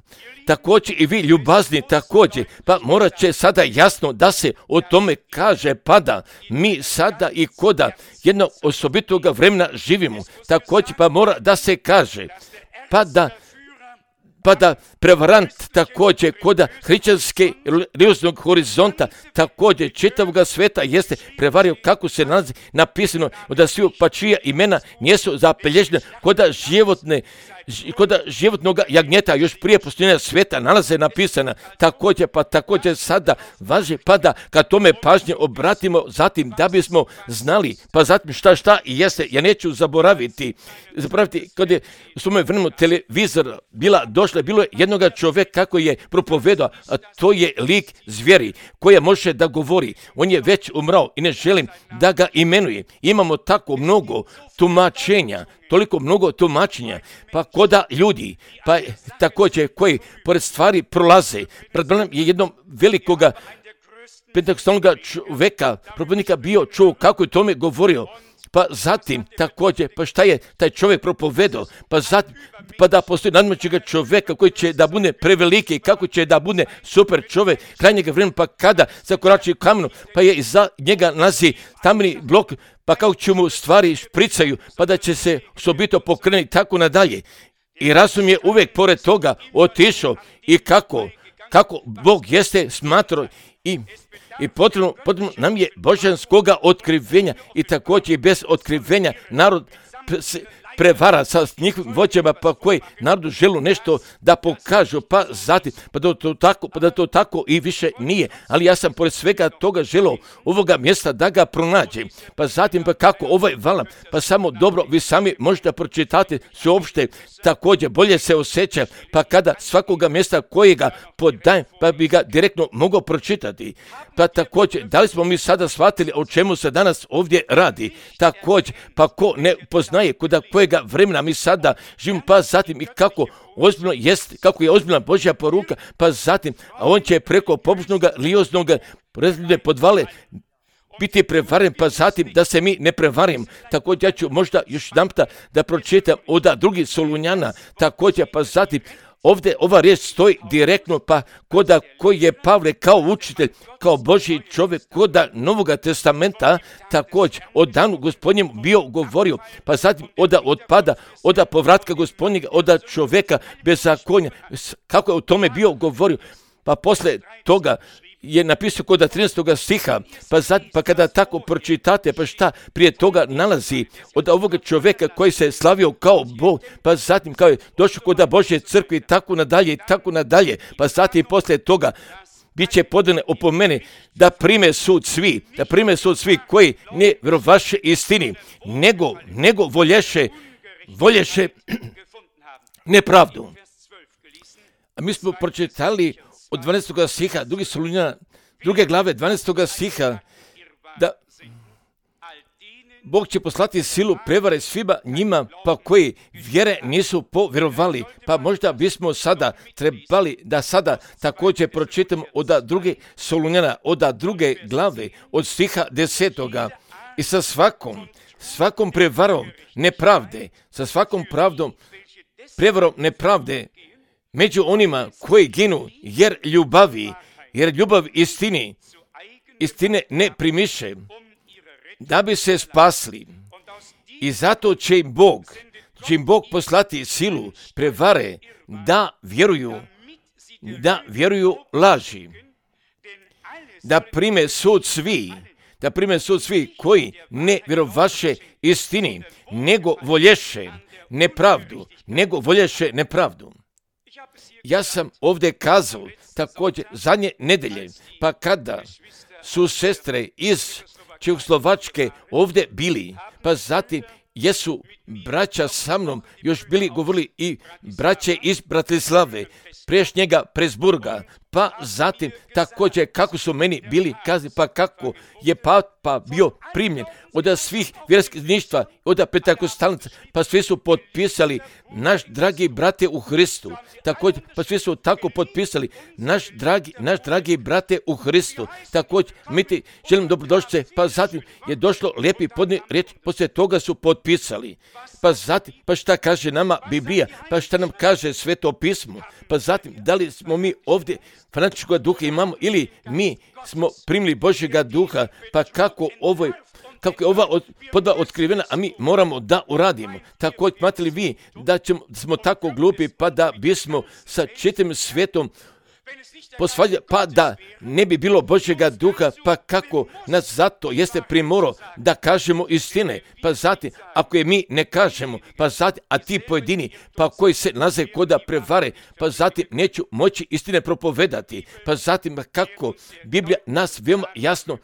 Također i vi ljubazni također, pa morat će sada jasno da se o tome kaže, pa da mi sada i koda jednog osobitog vremena živimo, također pa mora da se kaže, pa da pa da prevarant također koda hrišćanske religioznog horizonta, također čitavoga sveta jeste prevario kako se nalazi napisano da svi pa čija imena nisu zapelježena koda životne koda životnog jagnjeta još prije postojanja sveta nalaze napisana također, pa također sada važi pa da kad tome pažnje obratimo zatim da bismo znali, pa zatim šta šta i jeste, ja neću zaboraviti, zaboraviti kad je u svome vremenu televizor bila došla, bilo je jednoga čovjeka kako je propovedao, a to je lik zvijeri koja može da govori, on je već umrao i ne želim da ga imenuje, imamo tako mnogo tumačenja, toliko mnogo tumačenja, pa koda ljudi, pa također koji pored stvari prolaze, pred mnom je jednom velikoga pentakostalnog čovjeka, propovednika bio čuo kako je tome govorio, pa zatim također, pa šta je taj čovjek propovedao, pa zatim, pa da postoji nadmoćnega čovjeka koji će da bude preveliki i kako će da bude super čovjek krajnjega vremena, pa kada zakorači kamenu, pa je iza njega nalazi tamni blok, pa kako će mu stvari špricaju, pa da će se osobito pokrenuti tako nadalje. I razum je uvijek pored toga otišao i kako, kako Bog jeste smatrao i I potrebno, potrebno nam je božanskoga otkrivenja i također i bez otkrivenja narod se prevara sa njihovim vođama, pa koji narodu želu nešto da pokažu, pa zatim, pa da to tako, pa da to tako i više nije. Ali ja sam pored svega toga želio ovoga mjesta da ga pronađem. Pa zatim, pa kako ovaj valam, pa samo dobro, vi sami možete pročitati sveopšte, također bolje se osjeća, pa kada svakoga mjesta kojega podajem, pa bi ga direktno mogao pročitati. Pa također, da li smo mi sada shvatili o čemu se danas ovdje radi? Također, pa ko ne poznaje kuda kojega vremena mi sada živimo, pa zatim i kako ozbiljno jest, kako je ozbiljna Božja poruka, pa zatim, a on će preko pobožnog religioznog razljude podvale biti prevaren, pa zatim da se mi ne prevarim. Također ja ću možda još jedanputa da pročitam od drugih Solunjana, također pa zatim ovdje ova riječ stoji direktno, pa koda koji je Pavle kao učitelj, kao Božji čovjek, koda Novoga testamenta, također od danu Gospodnjem bio govorio, pa zatim oda otpada, oda povratka Gospodnjega, oda čovjeka bezakonja, kako je o tome bio govorio, pa posle toga je napisao kod trinaestog stiha, pa, zad, pa kada tako pročitate, pa šta prije toga nalazi od ovoga čovjeka koji se slavio kao Bog, pa zatim kao je došao kod Božje crkve i tako nadalje i tako nadalje, pa zatim poslije toga bit će podane opomene da prime sud svi, da prime sud svi koji ne vjerovaše istini, nego, nego volješe, volješe nepravdu. A mi smo pročitali od dvanaestog stiha, drugi Solunjana, druge glave, dvanaestog stiha, da Bog će poslati silu prevare svima njima, pa koji vjere nisu povjerovali. Pa možda bismo sada trebali da sada također pročitamo od druge Solunjana, od druge glave, od stiha desetoga. I sa svakom, svakom prevarom nepravde, sa svakom pravdom, prevarom nepravde, među onima koji ginu, jer ljubavi, jer ljubav istini, istine ne primiše, da bi se spasli. I zato će im Bog, će im Bog poslati silu prevare da vjeruju, da vjeruju laži, da prime sud svi, da prime sud svi koji ne vjerovaše istini, nego volješe nepravdu, nego volješe nepravdu. Ja sam ovdje kazao također zadnje nedelje, pa kada su sestre iz Čehoslovačke ovdje bili, pa zatim jesu braća sa mnom još bili govorili i braće iz Bratislave, priješnjega Presburga, pa zatim također kako su meni bili kazni, pa kako je Papa bio primljen od svih vjerskih zajedništva, od pentakostalnica, pa svi su potpisali naš dragi brate u Hristu, također, pa svi su tako potpisali naš dragi, naš dragi brate u Hristu, također, mi ti želim dobrodošlice, pa zatim je došlo lijepi podni riječ, poslije toga su potpisali, pa zatim, pa šta kaže nama Biblija, pa šta nam kaže Sveto pismo, pa zatim, da li smo mi ovdje fanatičkog duha imamo ili mi smo primili Božjega duha, pa kako ovoj kako je ova od, podva otkrivena, a mi moramo da uradimo. Tako imate li vi da ćemo, smo tako glupi pa da bismo sa čitavim svijetom posvađali, pa da ne bi bilo Božjega duha, pa kako nas zato jeste primoro da kažemo istine, pa zatim ako je mi ne kažemo, pa zatim, a ti pojedini, pa koji se nalaze koda prevare, pa zatim neću moći istine propovedati, pa zatim kako Biblija nas veoma jasno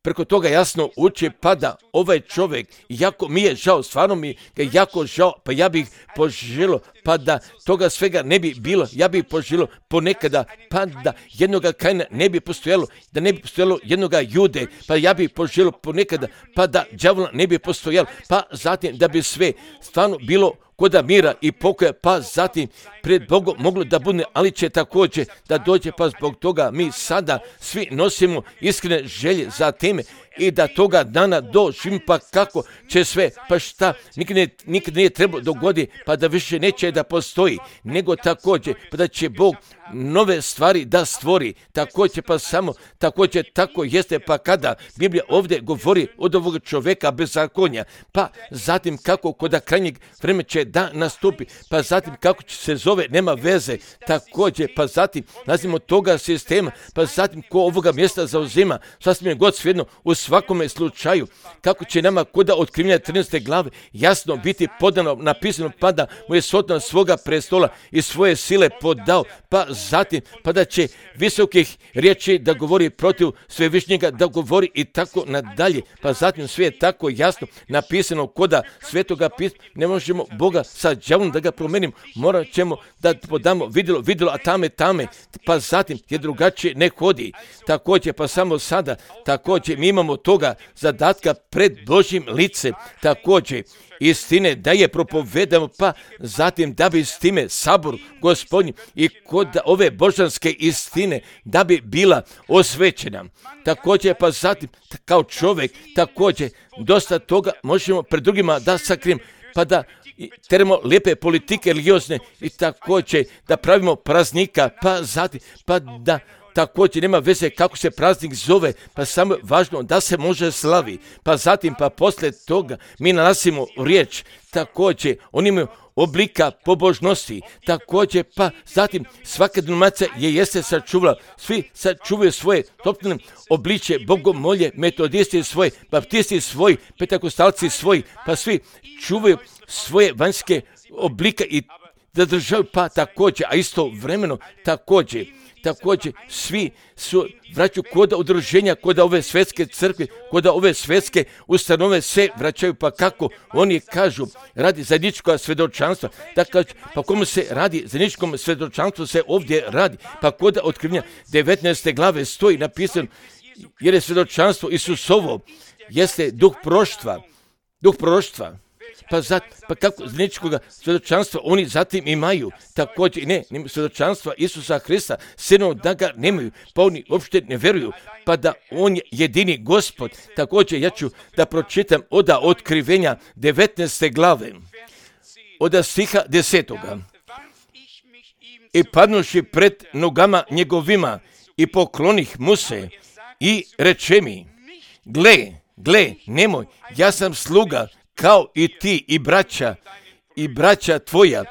preko toga jasno uči, pa da ovaj čovjek, jako mi je žao, stvarno mi je jako žao, pa ja bih poželio, pa da toga svega ne bi bilo, ja bih poželio ponekada, pa da jednoga Kaina ne bi postojalo, da ne bi postojalo jednoga Jude, pa ja bih poželio ponekada, pa da đavola ne bi postojalo, pa zatim da bi sve stvarno bilo koda mira i pokoja, pa zatim pred Bogom moglo da bude, ali će također da dođe, pa zbog toga mi sada svi nosimo iskrene želje za teme i da toga dana doživim, pa kako će sve, pa šta, nikad, ne, nikad nije trebalo dogodi, pa da više neće da postoji, nego također, pa da će Bog nove stvari da stvori, također, pa samo, također, tako jeste, pa kada Biblija ovdje govori od ovog čovjeka bezakonja, pa zatim kako kod krajnjeg vremena će da nastupi, pa zatim kako će se zove, nema veze, također, pa zatim nazimo toga sistema, pa zatim ko ovoga mjesta zauzima, sasvim je god svejedno, u svakome slučaju, kako će nama koda otkrivanja trinaeste glave jasno biti podano, napisano, pa da mu je sotna svoga prestola i svoje sile podao, pa zatim, pa da će visokih riječi da govori protiv svevišnjega, da govori i tako nadalje, pa zatim sve je tako jasno napisano koda svetoga pisma, ne možemo Boga sa đavolom da ga promenimo, morat ćemo da podamo vidjelo, vidjelo, a tame, tame, pa zatim je drugačije ne hodi, također, pa samo sada, također, mi imamo toga zadatka pred Božjim licem, također, istine da je propovedamo, pa zatim da bi s time sabor Gospodnji i kod ove božanske istine da bi bila osvećena. Također, pa zatim kao čovjek, također dosta toga možemo pred drugima da sakrijemo, pa da teramo lijepe politike religiozne i također da pravimo praznika, pa zatim, pa da također nema veze kako se praznik zove, pa samo je važno da se može slavi, pa zatim pa poslije toga mi nalazimo riječ, također oni imaju oblika pobožnosti, također pa zatim svaka denominacija je jeste sačuvala, svi sačuvaju svoje topne obliče, bogomolje, metodisti svoje, baptisti svoji, pentekostalci svoji, pa svi čuvaju svoje vanjske oblike i zadržaju, pa također, a isto vremeno također, također svi su vraćaju koda udruženja, koda ove svjetske crkve, koda ove svjetske ustanove se vraćaju, pa kako oni kažu, radi zajedničko svjedočanstva, da kažu, pa komu se radi zajedničkom svjedočanstvu se ovdje radi, pa koda otkrivanja devetnaeste glave stoji napisano, jer je svjedočanstvo Isusovo, jeste duh proroštva, duh proroštva. Pa, zat, pa kako zajedničkog svjedočanstva oni zatim imaju, također ne, ne svjedočanstva Isusa Hrista, sinom da ga nemaju, pa oni uopšte ne vjeruju, pa da on je jedini Gospod. Također ja ću da pročitam od otkrivenja devetnaeste glave, od stiha desetoga. I padnuši pred nogama njegovima i poklonih mu se i reče mi, gle, gle, nemoj, ja sam sluga, kao i ti i braća i braća tvoja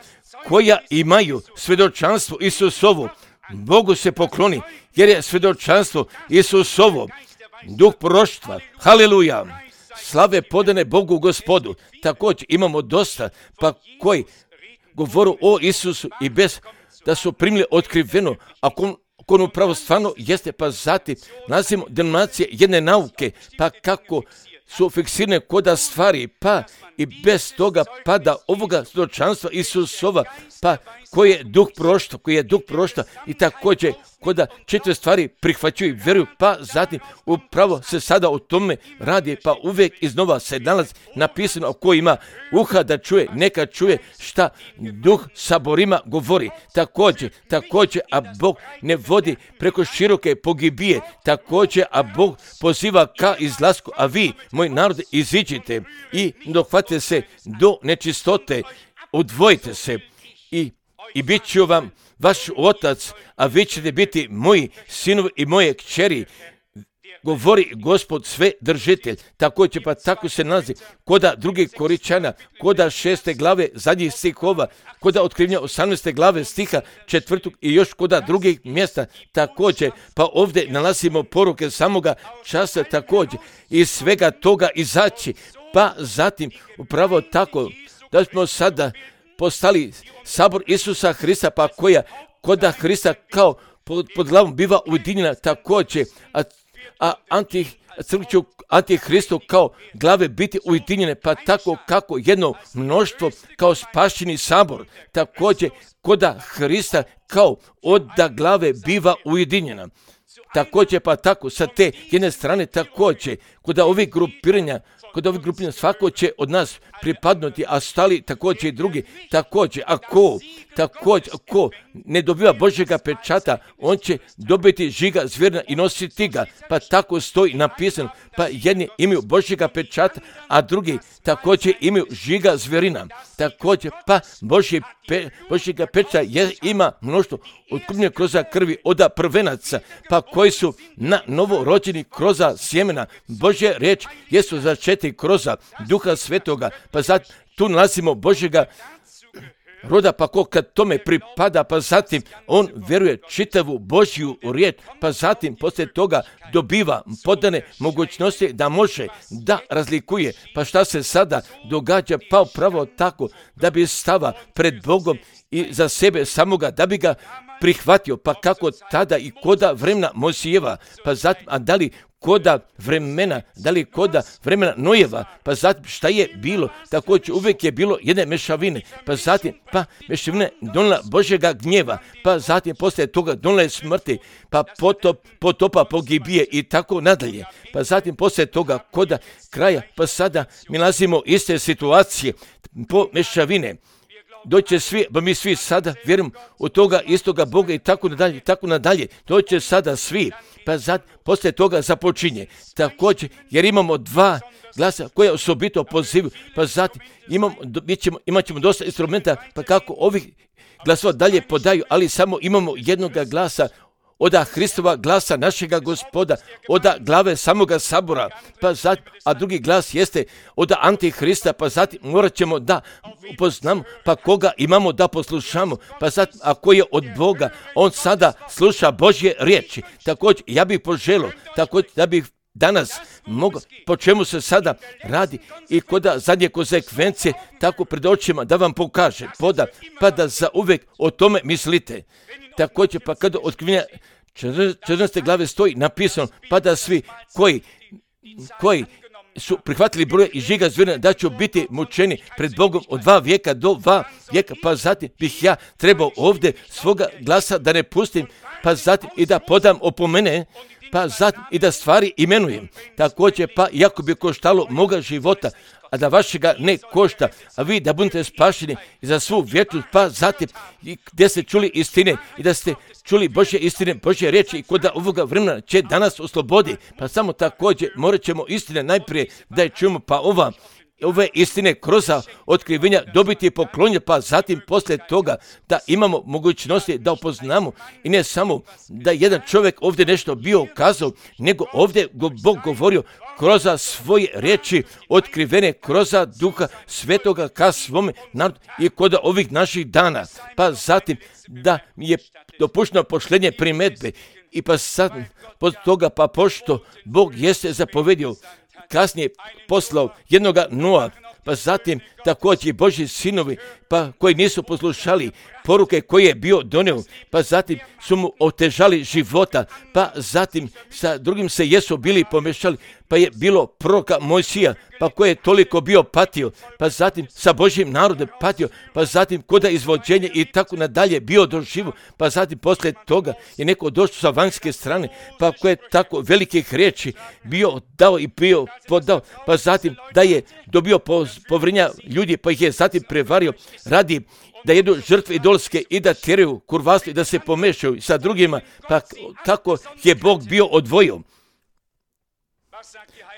koja imaju svjedočanstvo Isusovo, Bogu se pokloni, jer je svjedočanstvo Isusovo duh proroštva. Haleluja! Slave podane Bogu Gospodu. Također imamo dosta pa koji govoru o Isusu i bez da su primili otkriveno, ako on upravo stvarno jeste, pa zatim nazivamo denominacije jedne nauke, pa kako su fiksirane koda stvari, pa i bez toga pada ovoga svjedočanstva Isusova, pa koji je duh proroštva, koji je duh proroštva i također koda četiri stvari prihvaćaju i vjeruju, pa zatim upravo se sada o tome radi, pa uvijek iznova se nalazi napisano ko ima uha da čuje, neka čuje šta duh saborima govori. Također, također, a Bog ne vodi preko široke pogibije, također, a Bog poziva ka izlasku, a vi, moj narod, iziđite i dohvatite se do nečistote, odvojite se i I bit ću vam vaš otac, a vi ćete biti moji sinovi i moje kćeri. govori Gospod sve držitelj. Također pa tako se nalazi koda drugih Koričana, koda šeste glave zadnjih stihova, koda otkrivnja osamnaeste glave stiha četvrtog i još koda drugih mjesta također. Pa ovdje nalazimo poruke samoga časa također. Iz svega toga izaći. Pa zatim upravo tako da smo sada postali sabor Isusa Hrista, pa koja koda Hrista kao pod, pod glavom biva ujedinjena također, a, a anti, crkću Antihristu kao glave biti ujedinjene, pa tako kako jedno mnoštvo kao spašeni sabor, također koda Hrista kao oda glave biva ujedinjena. Također pa tako sa te jedne strane također koda ovih grupiranja Kod ovih grupina svako će od nas pripadnuti, a stali također i drugi. Također, ako, također, ako ne dobiva Božjega pečata, on će dobiti žiga zvjerna i nositi ga. Pa tako stoji napisano. Pa jedni imaju Božjega pečata, a drugi također imaju žiga zvjerina. Također, pa Božje pe, Božjega pečata je, ima mnoštvo otkupljenja kroz krvi oda prvenaca, pa koji su na novo rođeni kroz sjemena. Božje riječ jesu začeti kroz Duha Svetoga, pa zato tu nalazimo Božjega roda, pa ko kad tome pripada, pa zatim on vjeruje čitavu Božju riječ, pa zatim poslije toga dobiva podane mogućnosti da može da razlikuje. Pa šta se sada događa? Pa upravo tako da bi stava pred Bogom i za sebe samoga, da bi ga prihvatio, pa kako tada i koda vremena Mojsijeva, pa zatim, a da li koda vremena, da li koda vremena Nojeva, pa zatim šta je bilo, također uvijek je bilo jedne mešavine, pa zatim, pa mešavine donijela Božjega gnjeva, pa zatim poslije toga donijela smrti, pa potop, potopa pogibije i tako nadalje, pa zatim poslije toga koda kraja, pa sada mi nalazimo iste situacije po mešavine. Doće svi, pa mi svi sada vjerujemo u toga istoga Boga i tako nadalje, tako nadalje. Doće sada svi, pa zad, poslije toga započinje. Također, jer imamo dva glasa koje osobito pozivu, pa zatim imamo, mi ćemo, imat ćemo dosta instrumenta, pa kako ovih glasova dalje podaju, ali samo imamo jednoga glasa, oda Hristova glasa našega Gospoda, oda glave samoga sabora, pa zatim, a drugi glas jeste oda Antihrista, pa zatim morat ćemo da upoznamo, pa koga imamo da poslušamo, pa zatim ako je od Boga, on sada sluša Božje riječi. Također, ja bih poželio, također da bih danas mogu, po čemu se sada radi i koda zadnje konsekvencije tako pred očima da vam pokaže, poda, pa da za uvijek o tome mislite. Također, pa kada otkrivenja četrnaeste glave stoji napisano, pa da svi koji, koji su prihvatili broje i žiga zvjerina da će biti mučeni pred Bogom od dva vijeka do dva vijeka, pa zatim bih ja trebao ovdje svoga glasa da ne pustim, pa zatim i da podam opomene, pa zatim i da stvari imenujem. Također, pa iako bi koštalo moga života, a da vašega ne košta, a vi da budete spašeni za svu vječnost, pa zatim i gdje ste čuli istine i da ste čuli Božje istine, Božje riječi i kod ovoga vremena će danas oslobodi, pa samo također morat ćemo istine najprije da je čujemo, pa ova ove istine kroz otkrivenja dobiti poklonje, pa zatim poslije toga da imamo mogućnosti da upoznamo i ne samo da jedan čovjek ovdje nešto bio kazao, nego ovdje Bog govorio kroz svoje riječi otkrivene kroz Duha Svetoga ka svome narodu i kod ovih naših dana. Pa zatim da mi je dopušteno pošlenje primedbe i pa sad pod toga, pa pošto Bog jeste zapovedio, kasnije poslao jednoga Noa, pa zatim također i Božji sinovi, pa koji nisu poslušali poruke koje je bio donio, pa zatim su mu otežali života, pa zatim sa drugim se jesu bili pomešali, pa je bilo proroka Mojsija, pa koji je toliko bio patio, pa zatim sa Božjim narodom patio, pa zatim koda izvođenje i tako nadalje bio doživo, pa zatim poslije toga je neko došao sa vanjske strane, pa koji je tako velikih riječi bio dao i bio podao, pa zatim da je dobio povrenja ljudi, pa ih je zatim prevario radi da jedu žrtve idolske i da tjeraju kurvarstvo i da se pomešaju sa drugima, pa kako je Bog bio odvojio.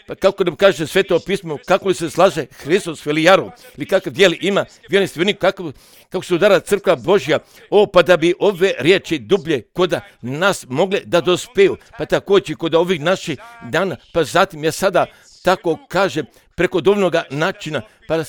Pa kako nam kaže Sveto pismo, kako li se slaže Hristos velijaru, ili kakav dijeli ima vjerni stvarnik, kako, kako se udara crkva Božja, o, pa da bi ove riječi dublje koda nas mogle da dospeju, pa također kod ovih naših dana, pa zatim ja sada tako kažem preko dovoljnoga načina, pa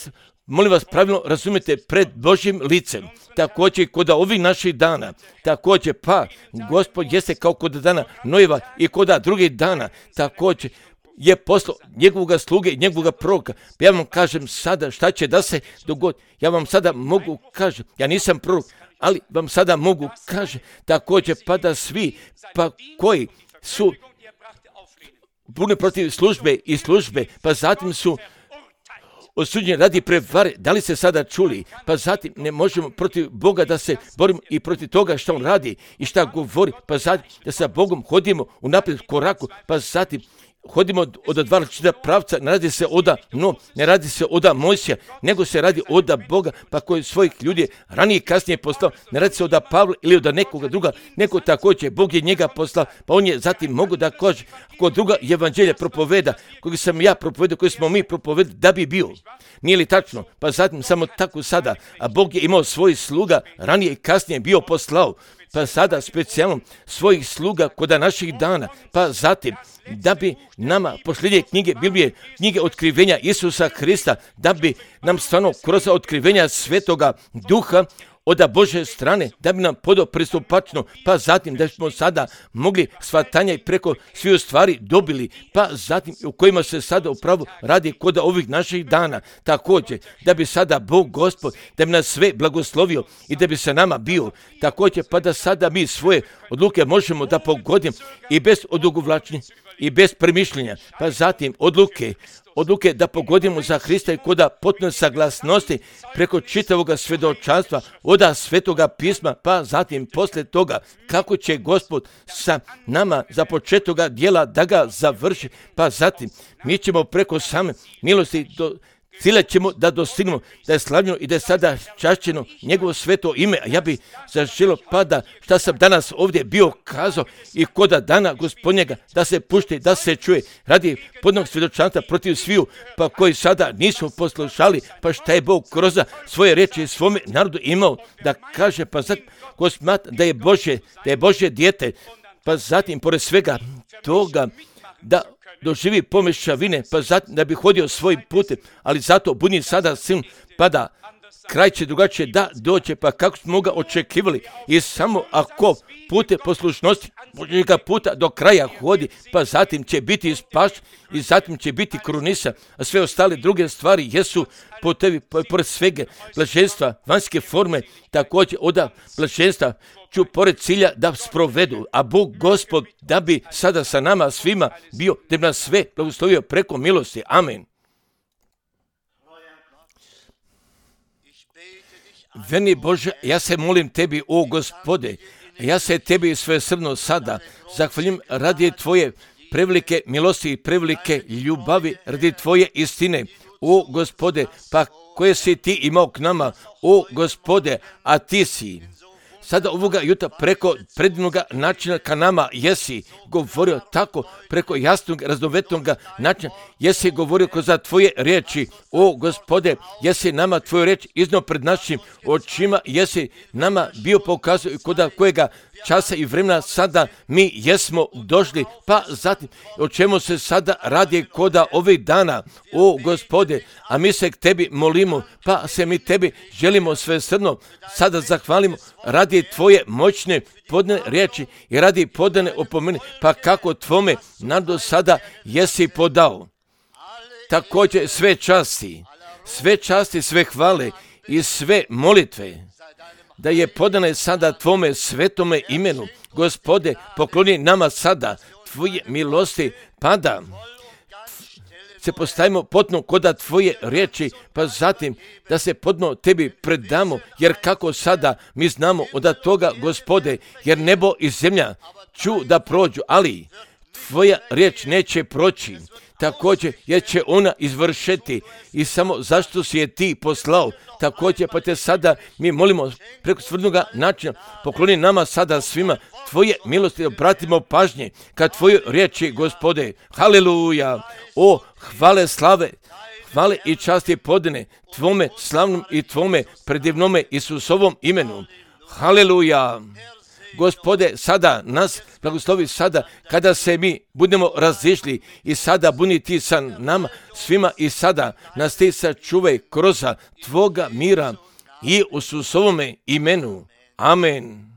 molim vas pravilno razumijete pred Božjim licem, također kod ovih naših dana, također pa Gospod jeste kao kod dana Nojeva i kod drugih dana, također je poslao njegovog sluge i njegovog proroka. Ja vam kažem sada šta će da se dogodi. Ja vam sada mogu kažem, ja nisam prorok, ali vam sada mogu kažem također pa da svi pa koji su buni protiv službe i službe, pa zatim su osuđeni radi prevare, da li ste sada čuli, pa zatim ne možemo protiv Boga da se borimo i protiv toga što on radi i šta govori, pa zatim da sa Bogom hodimo u naprijed koraku, pa zatim hodimo od dva različita pravca, ne radi se oda no, ne radi se oda Mojsija, nego se radi oda Boga, pa koji svojih ljudi ranije i kasnije poslao, ne radi se oda Pavla ili oda nekoga druga, neko također, Bog je njega poslao, pa on je zatim mogu da kaže, ako druga evanđelja propoveda, koji sam ja propovedao, koji smo mi propovedali, da bi bio. Nije li tačno? Pa zatim samo tako sada, a Bog je imao svojih sluga, ranije i kasnije bio poslao, pa sada specijalno svojih sluga kod naših dana, pa zatim da bi nama posljednje knjige Biblije, knjige otkrivenja Isusa Hrista, da bi nam stvarno kroz otkrivenja Svetoga Duha od Božje strane, da bi nam podao pristupačno, pa zatim da smo sada mogli shvatanja i preko svih stvari dobili, pa zatim u kojima se sada upravo radi kod ovih naših dana. Također, da bi sada Bog Gospod, da bi nas sve blagoslovio i da bi se nama bio. Također, pa da sada mi svoje odluke možemo da pogodimo i bez odugovlačenja i bez premišljenja, pa zatim odluke, odluke da pogodimo za Hrista i koda potpune saglasnosti preko čitavoga svjedočanstva, oda Svetoga pisma, pa zatim poslije toga kako će Gospod sa nama za početoga dijela da ga završi, pa zatim mi ćemo preko same milosti do cilja ćemo da dostignemo, da je slavljeno i da je sada čašćeno njegovo sveto ime, a ja bi zaželio pa da šta sam danas ovdje bio kazao i koda dana Gospodnjega da se pušti, da se čuje radi podnog svjedočanstva protiv sviju, pa koji sada nisu poslušali, pa šta je Bog kroz svoje reči svome narodu imao da kaže, pa zato ko smatra da je Božje, da je Božje dijete, pa zatim pored svega toga da doživi pomešavine, pa zatim da bi hodio svojim putem, ali zato budi sada sin, pa da kraj će drugačije da dođe, pa kako smo ga očekivali i samo ako pute poslušnosti Božjega puta do kraja hodi, pa zatim će biti spaš i zatim će biti krunisa, a sve ostale druge stvari jesu putevi, pored svega blaženstva, vanjske forme, također oda blaženstva ću pored cilja da sprovedu, a Bog Gospod da bi sada sa nama svima bio, da bi nas sve blagoslovio preko milosti. Amen. Veni Bože, ja se molim tebi, o Gospode, ja se tebi svesrdno sada zahvaljujem radi tvoje prevelike milosti i prevelike ljubavi, radi tvoje istine, o Gospode, pa koje si ti imao k nama, o Gospode, a ti si sada ovoga jutra preko predivnoga načina ka nama jesi govorio tako, preko jasnog, raznovetnog načina, jesi govorio kroz tvoje riječi, o Gospode, jesi nama tvoju riječ iznio pred našim očima, jesi nama bio pokazao i kod kojega časa i vremena sada mi jesmo došli, pa zatim o čemu se sada radi koda ovih dana, o Gospode, a mi se k tebi molimo, pa se mi tebi želimo svesrdno sada zahvalimo radi tvoje moćne podane riječi i radi podane opomene, pa kako tvome narodu sada jesi podao. Također sve časti, sve časti, sve hvale i sve molitve da je podane sada tvome svetome imenu. Gospode, pokloni nama sada tvoje milosti, pa da se postavimo potno koda tvoje riječi, pa zatim da se podno tebi predamo, jer kako sada mi znamo od toga, Gospode, jer nebo i zemlja ću da prođu, ali tvoja riječ neće proći, također jer će ona izvršiti i samo zašto si je ti poslao, također pa te sada mi molimo preko svrdnoga načina, pokloni nama sada svima tvoje milosti, obratimo pažnje kad tvoje riječi, Gospode, haleluja, o hvale slave, hvale i časti podane tvome slavnom i tvome predivnome Isusovom imenu, haleluja. Gospode, sada nas blagoslovi sada kada se mi budemo razišli i sada budi ti sa nama svima i sada nas ti sačuvaj kroz tvoga mira i u Isusovome imenu. Amen.